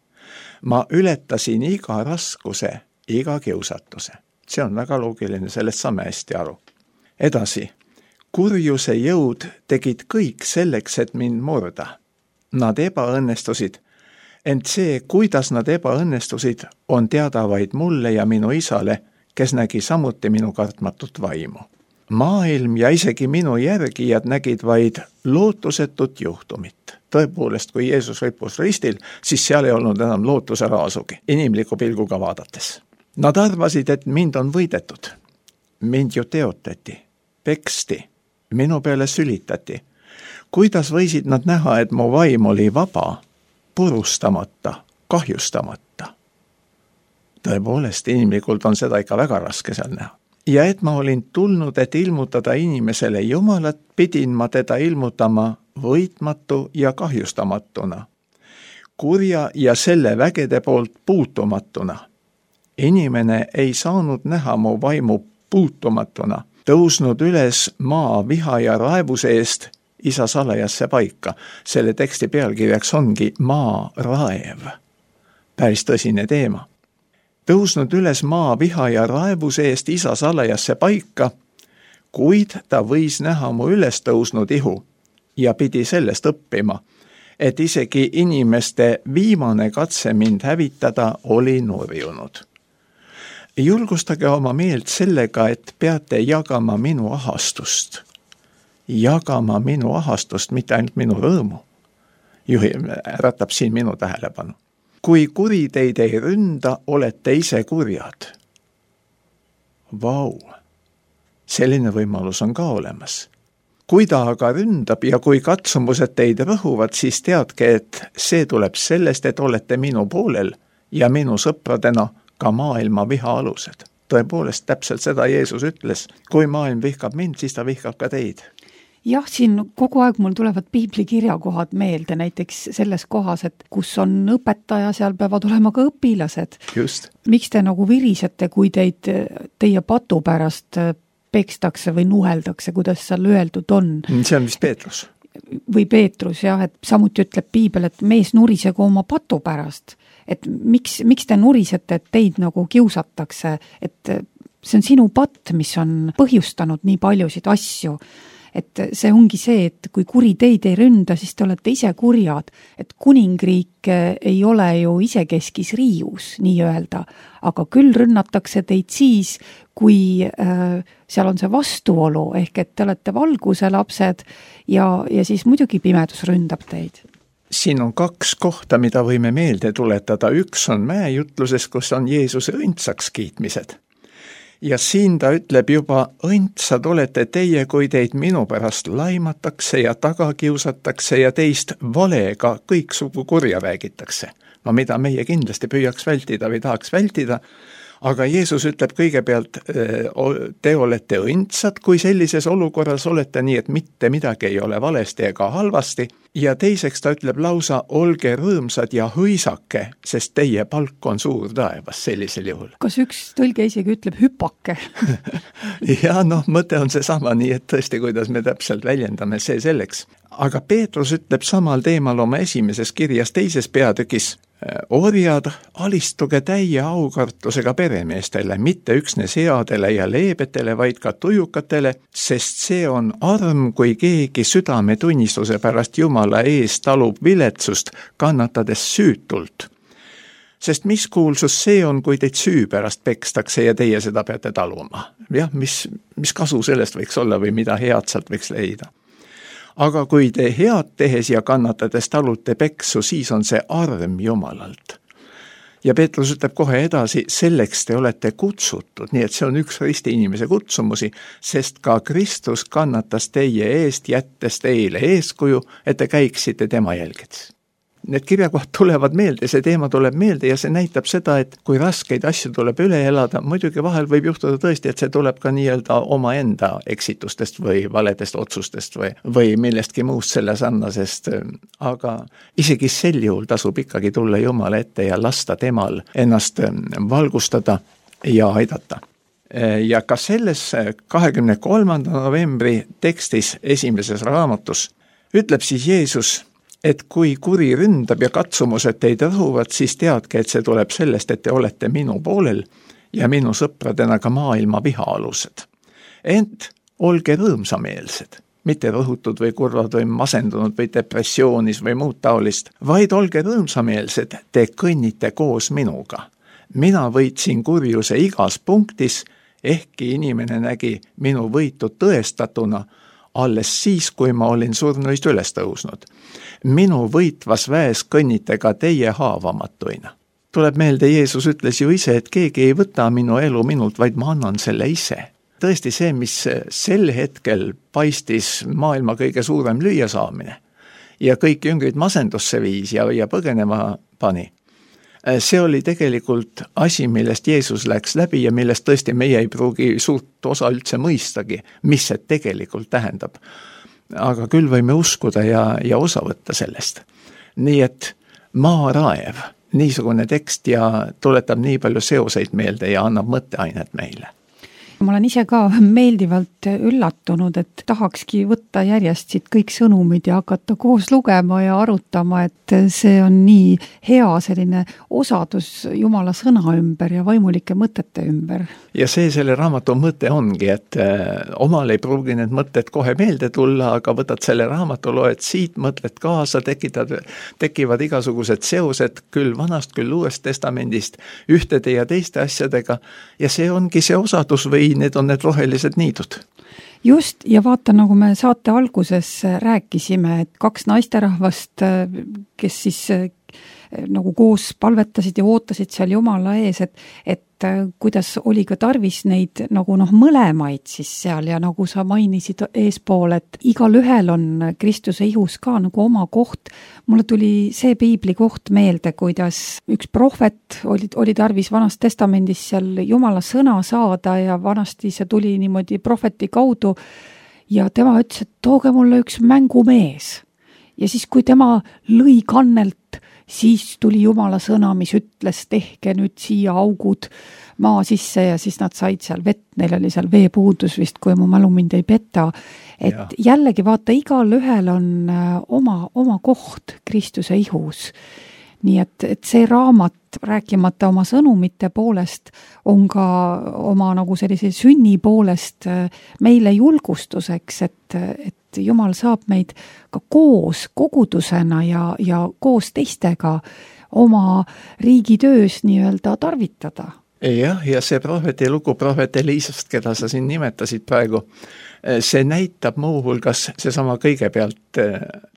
Ma ületasin iga raskuse, iga kiusatuse. See on väga loogiline, sellest saame hästi aru. Edasi, kurjuse jõud tegid kõik selleks, et mind murda. Nad ebaõnnestusid, ent see, kuidas nad ebaõnnestusid, on teada vaid mulle ja minu isale, kes nägi samuti minu kartmatut vaimu. Maailm ja isegi minu järgijad nägid vaid lootusetut juhtumit. Tõepoolest, kui Jeesus ripus ristil, siis seal ei olnud enam lootuse raasugi, inimliku pilguga vaadates. Nad arvasid, et mind on võidetud. Mind ju teotati, peksti, minu peale sülitati. Kuidas võisid nad näha, et mu vaim oli vaba, purustamata, kahjustamata? Tõepoolest, inimlikult on seda ikka väga raske seal näha. Ja et ma olin tulnud, et ilmutada inimesele Jumalat, pidin ma teda ilmutama võitmatu ja kahjustamatuna, kurja ja selle vägede poolt puutumatuna. Inimene ei saanud näha mu vaimu puutumatuna, tõusnud üles maa viha ja raevuse eest isa salajasse paika. Selle teksti pealkirjaks ongi maa raev. Päris tõsine teema. Tõusnud üles maa viha ja raevuse eest isa salajasse paika, kuid ta võis näha mu üles tõusnud ihu ja pidi sellest õppima, et isegi inimeste viimane katse mind hävitada oli nurjunud. Julgustage oma meelt sellega, et peate jagama minu ahastust. Jagama minu ahastust, mitte ainult minu rõõmu. Äratab siin minu tähelepanu. Kui kuri teid ei ründa, olete ise kurjad. Vau, selline võimalus on ka olemas. Kui ta aga ründab ja kui katsumused teid rõhuvad, siis teadke, et see tuleb sellest, et olete minu poolel ja minu sõpradena ka maailma viha alused. Tõepoolest, täpselt seda Jeesus ütles. Kui maailm vihkab mind, siis ta vihkab ka teid. Jah, siin kogu aeg mul tulevad piibli kirjakohad meelde, näiteks selles kohas, et kus on õpetaja, seal peavad olema ka õpilased. Just. Miks te nagu virisete, kui teie patu pärast pekstakse või nuheldakse, kuidas seal öeldud on? See on vist Peetrus. Või Peetrus, jah, et samuti ütleb piibel, et mees nurisegu oma patu pärast. Et miks te nurisete, et teid nagu kiusatakse, et see on sinu patt, mis on põhjustanud nii paljusid asju. Et see ongi see, et kui kuri teid ei ründa, siis te olete ise kurjad. Et kuningriik ei ole ju isekeskis riius, nii öelda, aga küll rünnatakse teid siis, kui seal on see vastuolu, ehk et te olete valguse lapsed ja siis muidugi pimedus ründab teid. Siin on 2 kohta, mida võime meelde tuletada. Üks on mäejutluses, kus on Jeesuse õndsaks kiitmised. Ja siin ta ütleb juba, õndsad olete teie, kui teid minu pärast laimatakse ja tagakiusatakse ja teist valega kõiksugu kurja räägitakse. Mida meie kindlasti püüaks vältida või tahaks vältida, aga Jeesus ütleb kõigepealt, te olete õndsad, kui sellises olukorras olete, nii et mitte midagi ei ole valesti ega halvasti, ja teiseks ta ütleb lausa, olge rõõmsad ja hõisake, sest teie palk on suur taevas sellisel juhul. Kas üks tõlge isegi ütleb hüpake? Ja mõte on seesama, nii et tõesti, kuidas me täpselt väljendame, see selleks. Aga Peetrus ütleb samal teemal oma esimeses kirjas teises peatükis, orjad, alistuge täie aukartusega peremeestele, mitte üksnes headele ja leebetele, vaid ka tujukatele, sest see on arm, kui keegi südametunnistuse pärast Jumala ees talub viletsust, kannatades süütult. Sest mis kuulsus see on, kui teid süü pärast pekstakse ja teie seda peate taluma? Jah, mis kasu sellest võiks olla või mida head sealt võiks leida? Aga kui te head tehes ja kannatades talute peksu, siis on see arm Jumalalt. Ja Peetrus ütleb kohe edasi, selleks te olete kutsutud, nii et see on üks risti inimese kutsumusi, sest ka Kristus kannatas teie eest, jättes teile eeskuju, et te käiksite tema jälgedes. Need kirjakohad tulevad meelde, see teema tuleb meelde ja see näitab seda, et kui raskeid asju tuleb üle elada, muidugi vahel võib juhtuda tõesti, et see tuleb ka nii-öelda omaenda eksitustest või valedest otsustest või millestki muust selle sarnasest, aga isegi sel juhul tasub ikkagi tulla Jumala ette ja lasta temal ennast valgustada ja aidata. Ja ka selles 23. novembri tekstis esimeses raamatus ütleb siis Jeesus, et kui kuri ründab ja katsumused teid rõhuvad, siis teadke, et see tuleb sellest, et te olete minu poolel ja minu sõpradena ka maailma vihaalused. Ent olge rõõmsameelsed, mitte rõhutud või kurvad või masendunud või depressioonis või muud taolist, vaid olge rõõmsameelsed, te kõnnite koos minuga. Mina võitsin kurjuse igas punktis, ehkki inimene nägi minu võitu tõestatuna, alles siis, kui ma olin surnuist üles tõusnud. Minu võitvas väes kõnnite ka teie haavamatuina. Tuleb meelde, Jeesus ütles ju ise, et keegi ei võta minu elu minult, vaid ma annan selle ise. Tõesti see, mis sel hetkel paistis maailma kõige suurem lüüasaamine ja kõik jüngrid masendusse viis ja põgenema pani. See oli tegelikult asi, millest Jeesus läks läbi ja millest tõesti meie ei pruugi suurt osa üldse mõistagi, mis see tegelikult tähendab. Aga küll võime uskuda ja osa võtta sellest. Nii et maaraev, niisugune tekst ja tuletab nii palju seoseid meelde ja annab mõtteainet meile. Ma olen ise ka meeldivalt üllatunud, et tahakski võtta järjest siit kõik sõnumid ja hakata koos lugema ja arutama, et see on nii hea selline osadus Jumala sõna ümber ja vaimulike mõtete ümber. Ja see selle raamatu mõte ongi, et omal ei pruugi need mõtted kohe meelde tulla, aga võtad selle raamatu, loed siit, mõtled kaasa, tekivad igasugused seosed küll vanast, küll uuest testamendist, ühtede ja teiste asjadega ja see ongi see osadus või need on need rohelised niidud. Just, ja vaata, nagu me saate alguses rääkisime, et kaks naisterahvast, kes siis nagu koos palvetasid ja ootasid seal Jumala ees, et kuidas oli ka tarvis neid nagu mõlemaid siis seal ja nagu sa mainisid eespool, et igal ühel on Kristuse ihus ka nagu oma koht. Mulle tuli see piibli koht meelde, kuidas üks prohvet oli tarvis vanast testamendis seal Jumala sõna saada ja vanasti see tuli niimoodi prohveti kaudu ja tema ütles, et tooge mulle üks mängumees. Ja siis, kui tema lõi kannelt, siis tuli Jumala sõna, mis ütles, tehke nüüd siia augud maa sisse ja siis nad said seal vett, neil oli seal veepuudus vist, kui mu mälu mind ei peta. Et ja. Jällegi vaata, igal ühel on oma koht Kristuse ihus. Nii et see raamat, rääkimata oma sõnumite poolest, on ka oma nagu sellise sünni poolest meile julgustuseks, et Jumal saab meid ka koos kogudusena ja koos teistega oma riigitöös nii-öelda tarvitada. Jah, ja see prohveti lugu, prohvet Eliisast, keda sa siin nimetasid praegu, see näitab muuhulgas seesama kõigepealt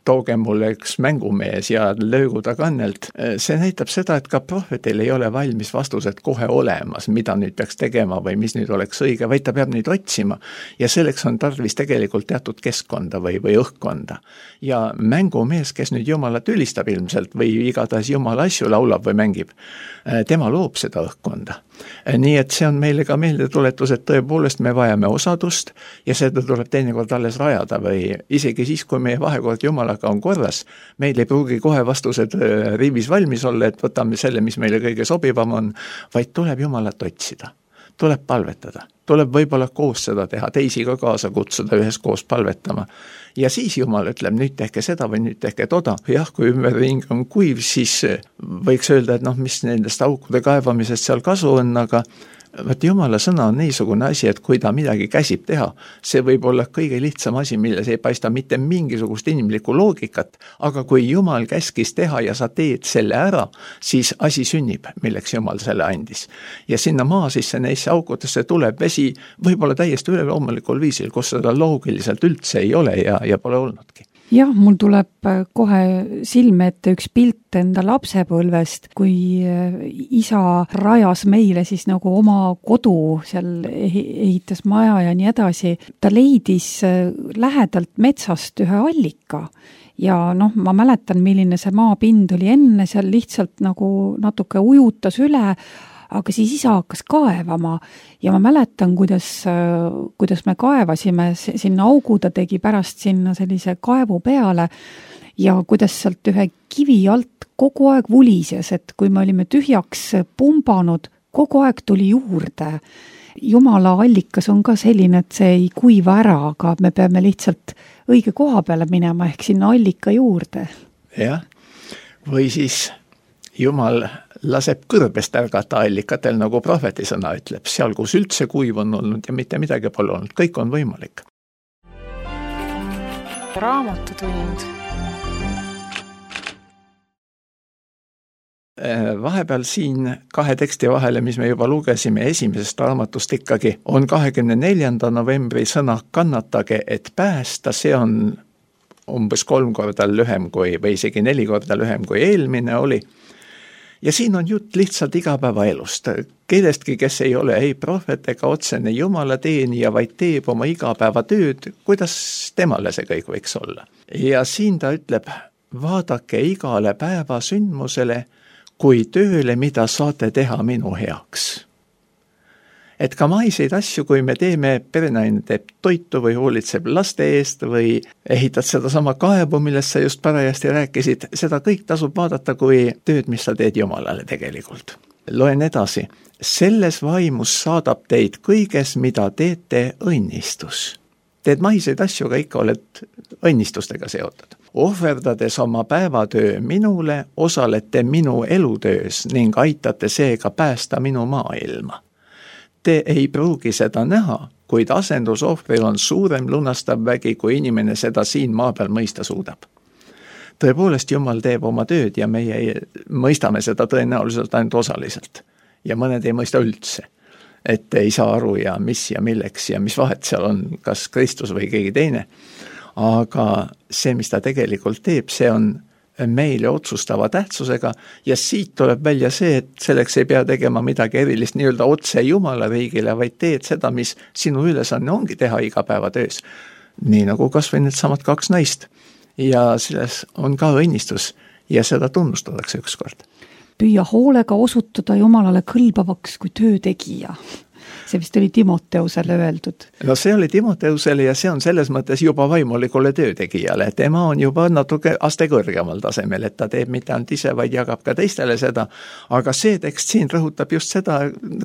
tooge mulle üks mängumees ja löögu ta kannelt. See näitab seda, et ka prohvetil ei ole valmis vastused kohe olemas, mida nüüd peaks tegema või mis nüüd oleks õige, vaid ta peab neid otsima. Ja selleks on tarvis tegelikult teatud keskkonda või õhkkonda. Ja mängumees, kes nüüd Jumalat ülistab ilmselt või igatahes Jumala asju laulab või mängib, tema loob seda õhkkonda. Nii et see on meile ka meeldetuletus, et tõepoolest me vajame osadust ja seda tuleb teinekord alles rajada või isegi siis, kui meie vahekord Jumalaga on korras, meil ei pruugi kohe vastused riivis valmis olla, et võtame selle, mis meile kõige sobivam on, vaid tuleb Jumalat otsida, tuleb palvetada, tuleb võib-olla koos seda teha, teisi ka kaasa kutsuda ühes koos palvetama. Ja siis Jumal ütleb, nüüd tehke seda või nüüd tehke toda. Jah, kui ümberring on kuiv, siis võiks öelda, et mis nendest aukude kaevamisest seal kasu on, aga võt Jumala sõna on niisugune asi, et kui ta midagi käsib teha, see võib olla kõige lihtsam asi, milles ei paista mitte mingisugust inimlikku loogikat, aga kui Jumal käskis teha ja sa teed selle ära, siis asi sünnib, milleks Jumal selle andis. Ja sinna maa sisse neisse aukudesse tuleb vesi võib-olla täiesti üleloomulikul viisil, kus seda loogiliselt üldse ei ole ja pole olnudki. Jah, mul tuleb kohe silme ette üks pilt enda lapsepõlvest, kui isa rajas meile siis nagu oma kodu, seal ehitas maja ja nii edasi. Ta leidis lähedalt metsast ühe allika ja ma mäletan, milline see maapind oli enne, seal lihtsalt nagu natuke ujutas üle, aga siis isa hakkas kaevama ja ma mäletan, kuidas me kaevasime sinna augu, ta tegi pärast sinna sellise kaevu peale ja kuidas sealt ühe kivi alt kogu aeg vulises, et kui me olime tühjaks pumbanud, kogu aeg tuli juurde. Jumala allikas on ka selline, et see ei kuiva ära, aga me peame lihtsalt õige koha peale minema ehk sinna allika juurde. Jah, või siis Jumal laseb kõrbest ärgata allikatel, nagu prohveti sõna ütleb, seal, kus üldse kuiv on olnud ja mitte midagi pole olnud, kõik on võimalik. Raamatutund. Vahepeal siin kahe teksti vahele, mis me juba lugesime esimesest raamatust ikkagi, on 24. novembri sõna kannatage, et päästa, see on umbes 3 korda lühem või isegi 4 korda lühem kui eelmine oli. Ja siin on jutt lihtsalt igapäevaelust. Kellestki, kes ei ole ei prohvet ega otsene Jumala teenija, vaid teeb oma igapäevatööd, kuidas temale see kõik võiks olla. Ja siin ta ütleb, vaadake igale päeva sündmusele kui tööle, mida saate teha minu heaks. Et ka maiseid asju, kui me teeme, perenaine teeb toitu või hoolitseb laste eest või ehitad seda sama kaevu, millest sa just parajasti rääkisid, seda kõik tasub vaadata kui tööd, mis sa teed Jumalale tegelikult. Loen edasi. Selles vaimus saadab teid kõiges, mida teete õnnistus. Teed maiseid asju, aga ikka oled õnnistustega seotud. Ohverdades oma päevatöö minule, osalete minu elutöös ning aitate seega päästa minu maailma. Te ei pruugi seda näha, kuid asendusohvril on suurem lunastav vägi, kui inimene seda siin maa peal mõista suudab. Tõepoolest, Jumal teeb oma tööd ja meie mõistame seda tõenäoliselt ainult osaliselt. Ja mõned ei mõista üldse, et ei saa aru ja mis ja milleks ja mis vahet seal on, kas Kristus või keegi teine. Aga see, mis ta tegelikult teeb, see on meile otsustava tähtsusega ja siit tuleb välja see, et selleks ei pea tegema midagi erilist nii-öelda otse Jumala riigile, vaid teed seda, mis sinu ülesanne ongi teha igapäevatöös. Nii nagu kas või need samad 2 naist. Ja selles on ka õnnistus ja seda tunnustatakse ükskord. Püüa hoolega osutuda Jumalale kõlbavaks kui töötegija. See vist oli Timoteusele öeldud. No see oli Timoteusele ja see on selles mõttes juba vaimulikule töötegijale. Tema on juba natuke aste kõrgemal tasemel, et ta teeb mitte ainult ise, vaid jagab ka teistele seda. Aga see tekst siin rõhutab just seda,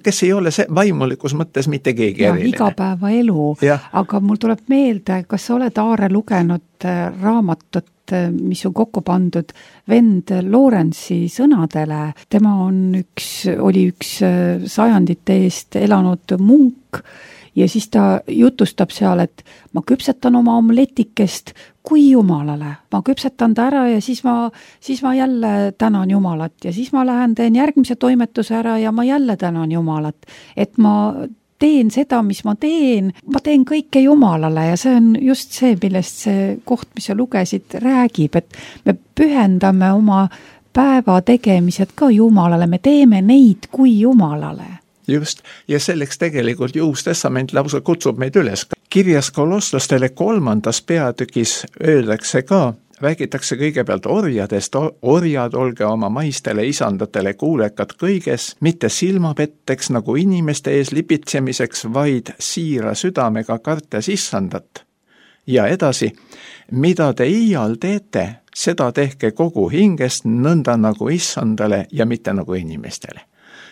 kes ei ole vaimulikus mõttes mitte keegi eriline. Igapäevaelu. Aga mul tuleb meelde, kas sa oled, Aare, lugenud raamatut, mis on kokku pandud vend Lawrence'i sõnadele. Tema oli üks sajandite eest elanud munk ja siis ta jutustab seal, et ma küpsetan oma omletikest kui Jumalale. Ma küpsetan ta ära ja siis ma jälle tänan Jumalat ja siis ma lähen teen järgmise toimetuse ära ja ma jälle tänan Jumalat. Et ma teen seda, mis ma teen kõike Jumalale ja see on just see, millest see koht, mis sa lugesid, räägib, et me pühendame oma päeva tegemised ka Jumalale, me teeme neid kui Jumalale. Just, ja selleks tegelikult Uus Testament lausa kutsub meid üles. Kirjas kolosslastele 3. peatükis öeldakse ka, räägitakse kõigepealt orjadest, orjad olge oma maistele isandatele kuulekad kõiges, mitte silmapetteks nagu inimeste ees lipitsemiseks, vaid siira südamega kartes isandat. Ja edasi, mida te iial teete, seda tehke kogu hingest nõnda nagu isandale ja mitte nagu inimestele.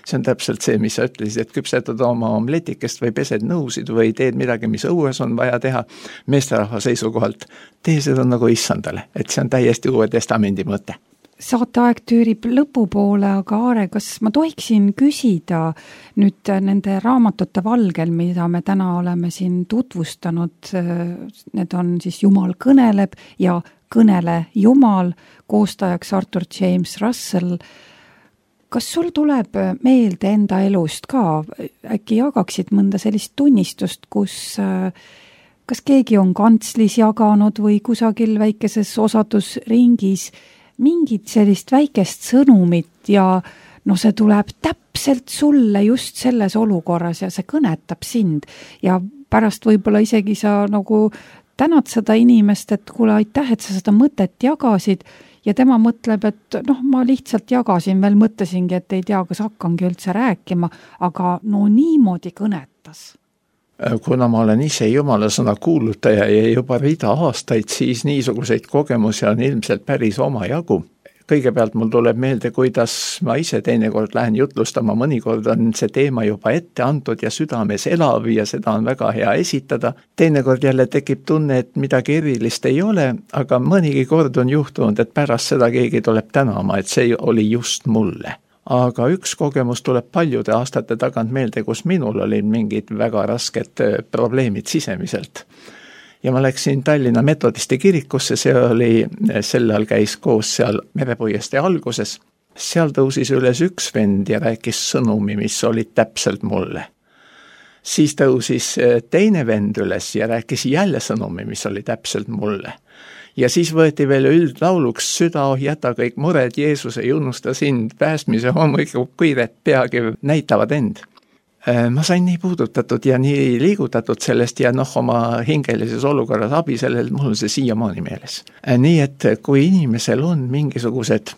See on täpselt see, mis sa ütlesid, et küpsetad oma omletikest või pesed nõusid või teed midagi, mis õues on vaja teha meesterahva seisukohalt. Tee seda nagu issandale, et see on täiesti Uue Testamendi mõte. Saateaeg tüürib lõpupoole, aga Aare, kas ma tohiksin küsida nüüd nende raamatute valgel, mida me täna oleme siin tutvustanud, need on siis Jumal kõneleb ja Kõnele Jumal, koostajaks Arthur James Russell. Kas sul tuleb meelde enda elust ka, äkki jagaksid mõnda sellist tunnistust, kus kas keegi on kantslis jaganud või kusagil väikeses osadusringis mingit sellist väikest sõnumit ja see tuleb täpselt sulle just selles olukorras ja see kõnetab sind ja pärast võib-olla isegi sa nagu tänad seda inimest, et kuule, aitäh, et sa seda mõtet jagasid ja tema mõtleb, et ma lihtsalt jagasin, veel mõtlesingi, et ei tea, kas hakkangi üldse rääkima, aga niimoodi kõnetas. Kuna ma olen ise Jumala sõna kuulutaja ja juba rida aastaid, siis niisuguseid kogemusi on ilmselt päris omajagu. Kõigepealt mul tuleb meelde, kuidas ma ise teinekord lähen jutlustama, mõnikord on see teema juba ette antud ja südames elav ja seda on väga hea esitada. Teinekord jälle tekib tunne, et midagi erilist ei ole, aga mõnigi kord on juhtunud, et pärast seda keegi tuleb tänama, et see oli just mulle. Aga üks kogemus tuleb paljude aastate tagant meelde, kus minul olid mingid väga rasked probleemid sisemiselt. Ja ma läksin Tallinna Metodisti kirikusse, see oli, sellal käis koos seal Merepuiestee alguses. Seal tõusis üles üks vend ja rääkis sõnumi, mis oli täpselt mulle. Siis tõusis teine vend üles ja rääkis jälle sõnumi, mis oli täpselt mulle. Ja siis võeti veel üldlauluks süda, jäta kõik mured, Jeesus ei unusta sind, päästmise hommikukiired peagi näitavad end. Ma sain nii puudutatud ja nii liigutatud sellest ja oma hingelises olukorras abi sellel, mul on see siiamaani meeles. Nii et kui inimesel on mingisugused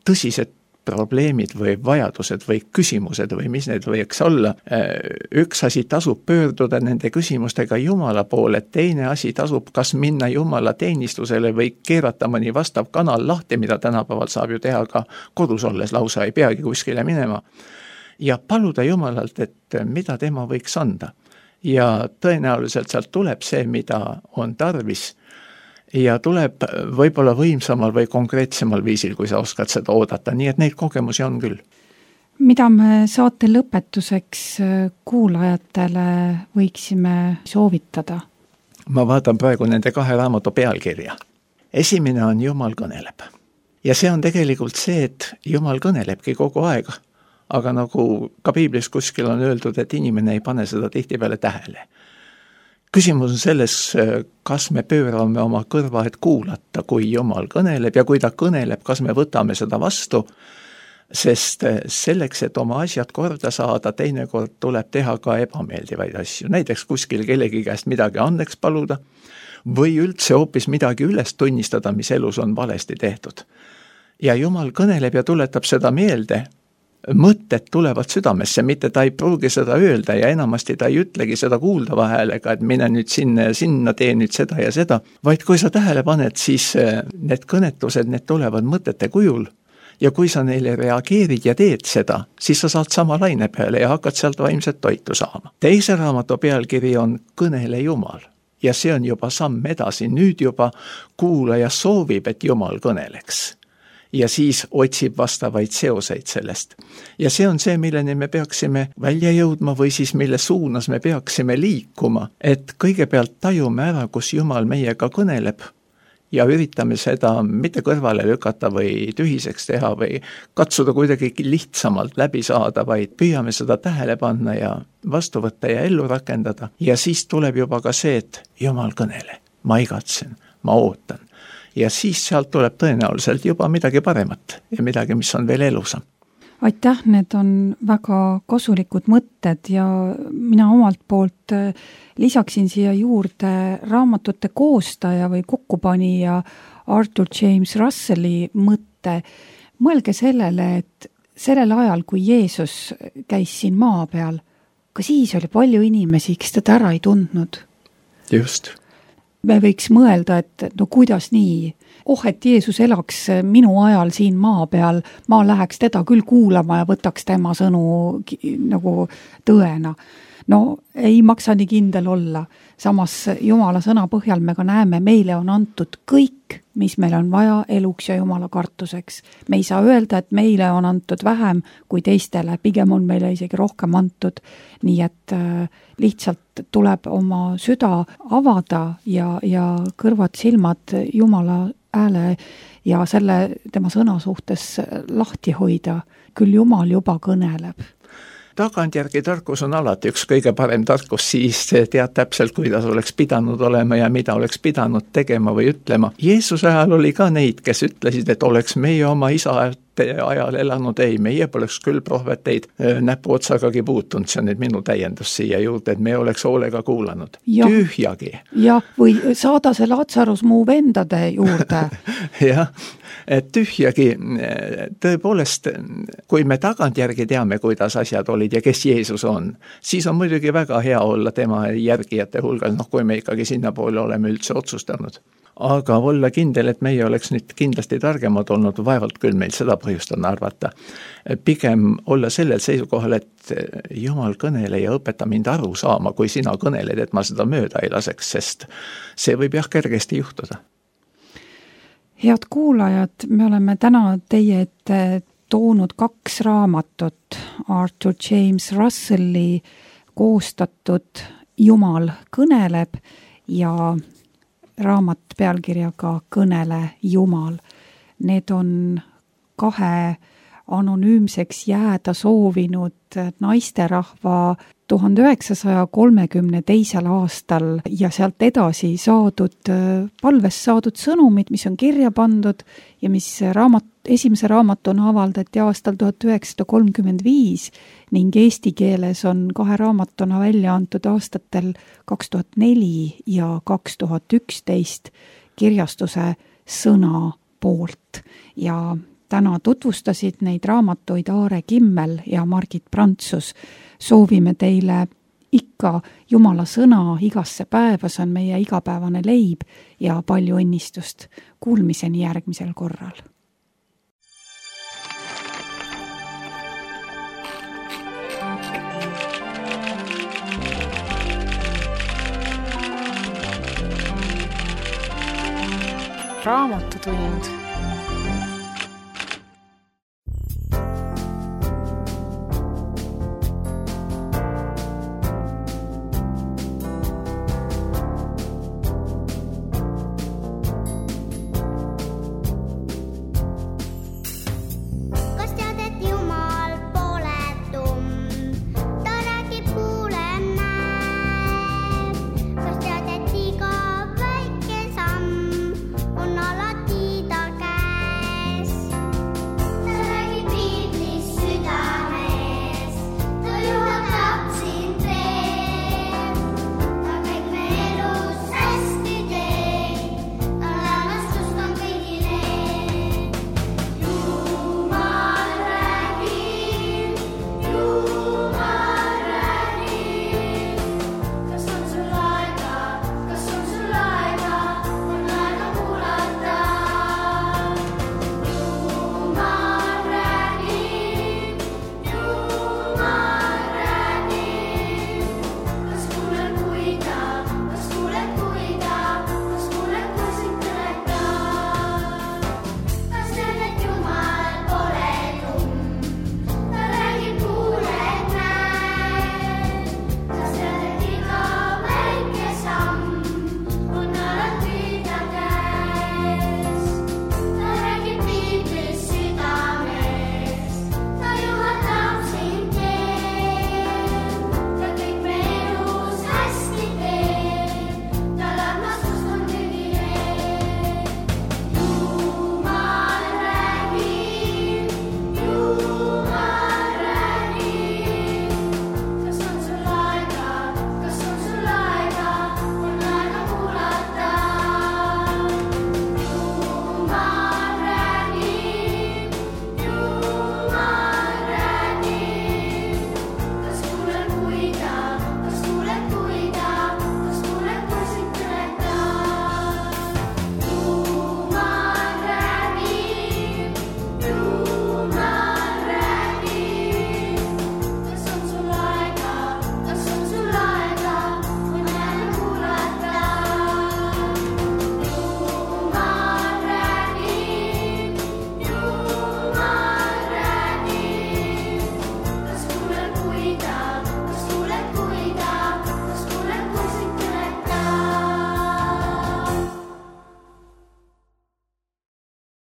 tõsised probleemid või vajadused või küsimused või mis need võiks olla, üks asi tasub pöörduda nende küsimustega Jumala poole, teine asi tasub kas minna Jumala teenistusele või keerata mõni vastav kanal lahti, mida tänapäeval saab ju teha ka kodus olles, lausa ei peagi kuskile minema. Ja paluda Jumalalt, et mida tema võiks anda. Ja tõenäoliselt sealt tuleb see, mida on tarvis. Ja tuleb võib-olla võimsamal või konkreetsemal viisil, kui sa oskad seda oodata. Nii et neid kogemusi on küll. Mida me saate lõpetuseks kuulajatele võiksime soovitada? Ma vaatan praegu nende 2 raamatu pealkirja. Esimene on Jumal kõneleb. Ja see on tegelikult see, et Jumal kõnelebki kogu aega. Aga nagu ka piiblis kuskil on öeldud, et inimene ei pane seda tihtipeale tähele. Küsimus on selles, kas me pöörame oma kõrva, et kuulata, kui Jumal kõneleb ja kui ta kõneleb, kas me võtame seda vastu, sest selleks, et oma asjad korda saada, teinekord tuleb teha ka ebameeldivaid asju. Näiteks kuskil kellegi käest midagi andeks paluda või üldse hoopis midagi üles tunnistada, mis elus on valesti tehtud. Ja Jumal kõneleb ja tuletab seda meelde. Mõtted tulevad südamesse, mitte ta ei pruugi seda öelda ja enamasti ta ei ütlegi seda kuuldava häälega, et mine nüüd sinna ja sinna, tee nüüd seda ja seda, vaid kui sa tähele paned, siis need kõnetused, need tulevad mõtete kujul ja kui sa neile reageerid ja teed seda, siis sa saad sama laine peale ja hakkad sealt vaimset toitu saama. Teise raamatu pealkiri on Kõnele Jumal ja see on juba samm edasi, nüüd juba kuulaja soovib, et Jumal kõneleks. Ja siis otsib vastavaid seoseid sellest. Ja see on see, milleni me peaksime välja jõudma või siis mille suunas me peaksime liikuma, et kõigepealt tajume ära, kus Jumal meiega kõneleb ja üritame seda mitte kõrvale lükata või tühiseks teha või katsuda kuidagi lihtsamalt läbi saada, vaid püüame seda tähele panna ja vastu võtta ja ellu rakendada. Ja siis tuleb juba ka see, et Jumal kõnele, ma igatsen, ma ootan. Ja siis sealt tuleb tõenäoliselt juba midagi paremat ja midagi, mis on veel elusam. Aitäh, need on väga kasulikud mõtted ja mina omalt poolt lisaksin siia juurde raamatute koostaja või kokkupanija Arthur James Russelli mõtte. Mõelge sellele, et sellel ajal, kui Jeesus käis siin maa peal, ka siis oli palju inimesi, kes teda ära ei tundnud. Just. Me võiks mõelda, et no kuidas nii? Et Jeesus elaks minu ajal siin maa peal, ma läheks teda küll kuulama ja võtaks tema sõnu nagu tõena. No ei maksa nii kindel olla. Samas Jumala sõna põhjal me ka näeme, meile on antud kõik, mis meil on vaja eluks ja Jumala kartuseks. Me ei saa öelda, et meile on antud vähem kui teistele, pigem on meile isegi rohkem antud. Nii et lihtsalt tuleb oma süda avada ja kõrvad silmad Jumala ääle ja selle tema sõna suhtes lahti hoida. Küll Jumal juba kõneleb. Tagantjärgi tarkus on alati üks kõige parem tarkus, siis tead täpselt, kuidas oleks pidanud olema ja mida oleks pidanud tegema või ütlema. Jeesuse ajal oli ka neid, kes ütlesid, et oleks meie oma isa ajal elanud, ei, meie poleks küll prohveteid näpu otsagagi puutunud, see on nüüd minu täiendus siia juurde, et me oleks hoolega kuulanud. Tühjagi. Ja, või saada see Latsarus muu vendade juurde. Jah, et tühjagi, tõepoolest, kui me tagantjärgi teame, kuidas asjad olid ja kes Jeesus on, siis on muidugi väga hea olla tema järgijate hulgas, kui me ikkagi sinna poole oleme üldse otsustanud. Aga olla kindel, et meie oleks nüüd kindlasti targemad olnud, vaevalt küll meil seda põhjust on arvata. Pigem olla sellel seisukohal, et Jumal kõnele ja õpeta mind aru saama, kui sina kõneled, et ma seda mööda ei laseks, sest see võib kergesti juhtuda. Head kuulajad, me oleme täna teie ette toonud 2 raamatut Arthur James Russelli koostatud Jumal kõneleb ja raamat pealkirjaga Kõnele Jumal. Need on 2 anonüümseks jääda soovinud naisterahva 1932. aastal ja sealt edasi palvest saadud sõnumid, mis on kirja pandud ja mis esimese raamatuna avaldati aastal 1935 ning eesti keeles on 2 raamatuna välja antud aastatel 2004 ja 2011 kirjastuse Sõna poolt. Ja täna tutvustasid neid raamatuid Aare Kimmel ja Margit Prantsus. Soovime teile ikka Jumala sõna igasse päeva, see on meie igapäevane leib ja palju õnnistust. Kuulmiseni järgmisel korral. Raamatutund.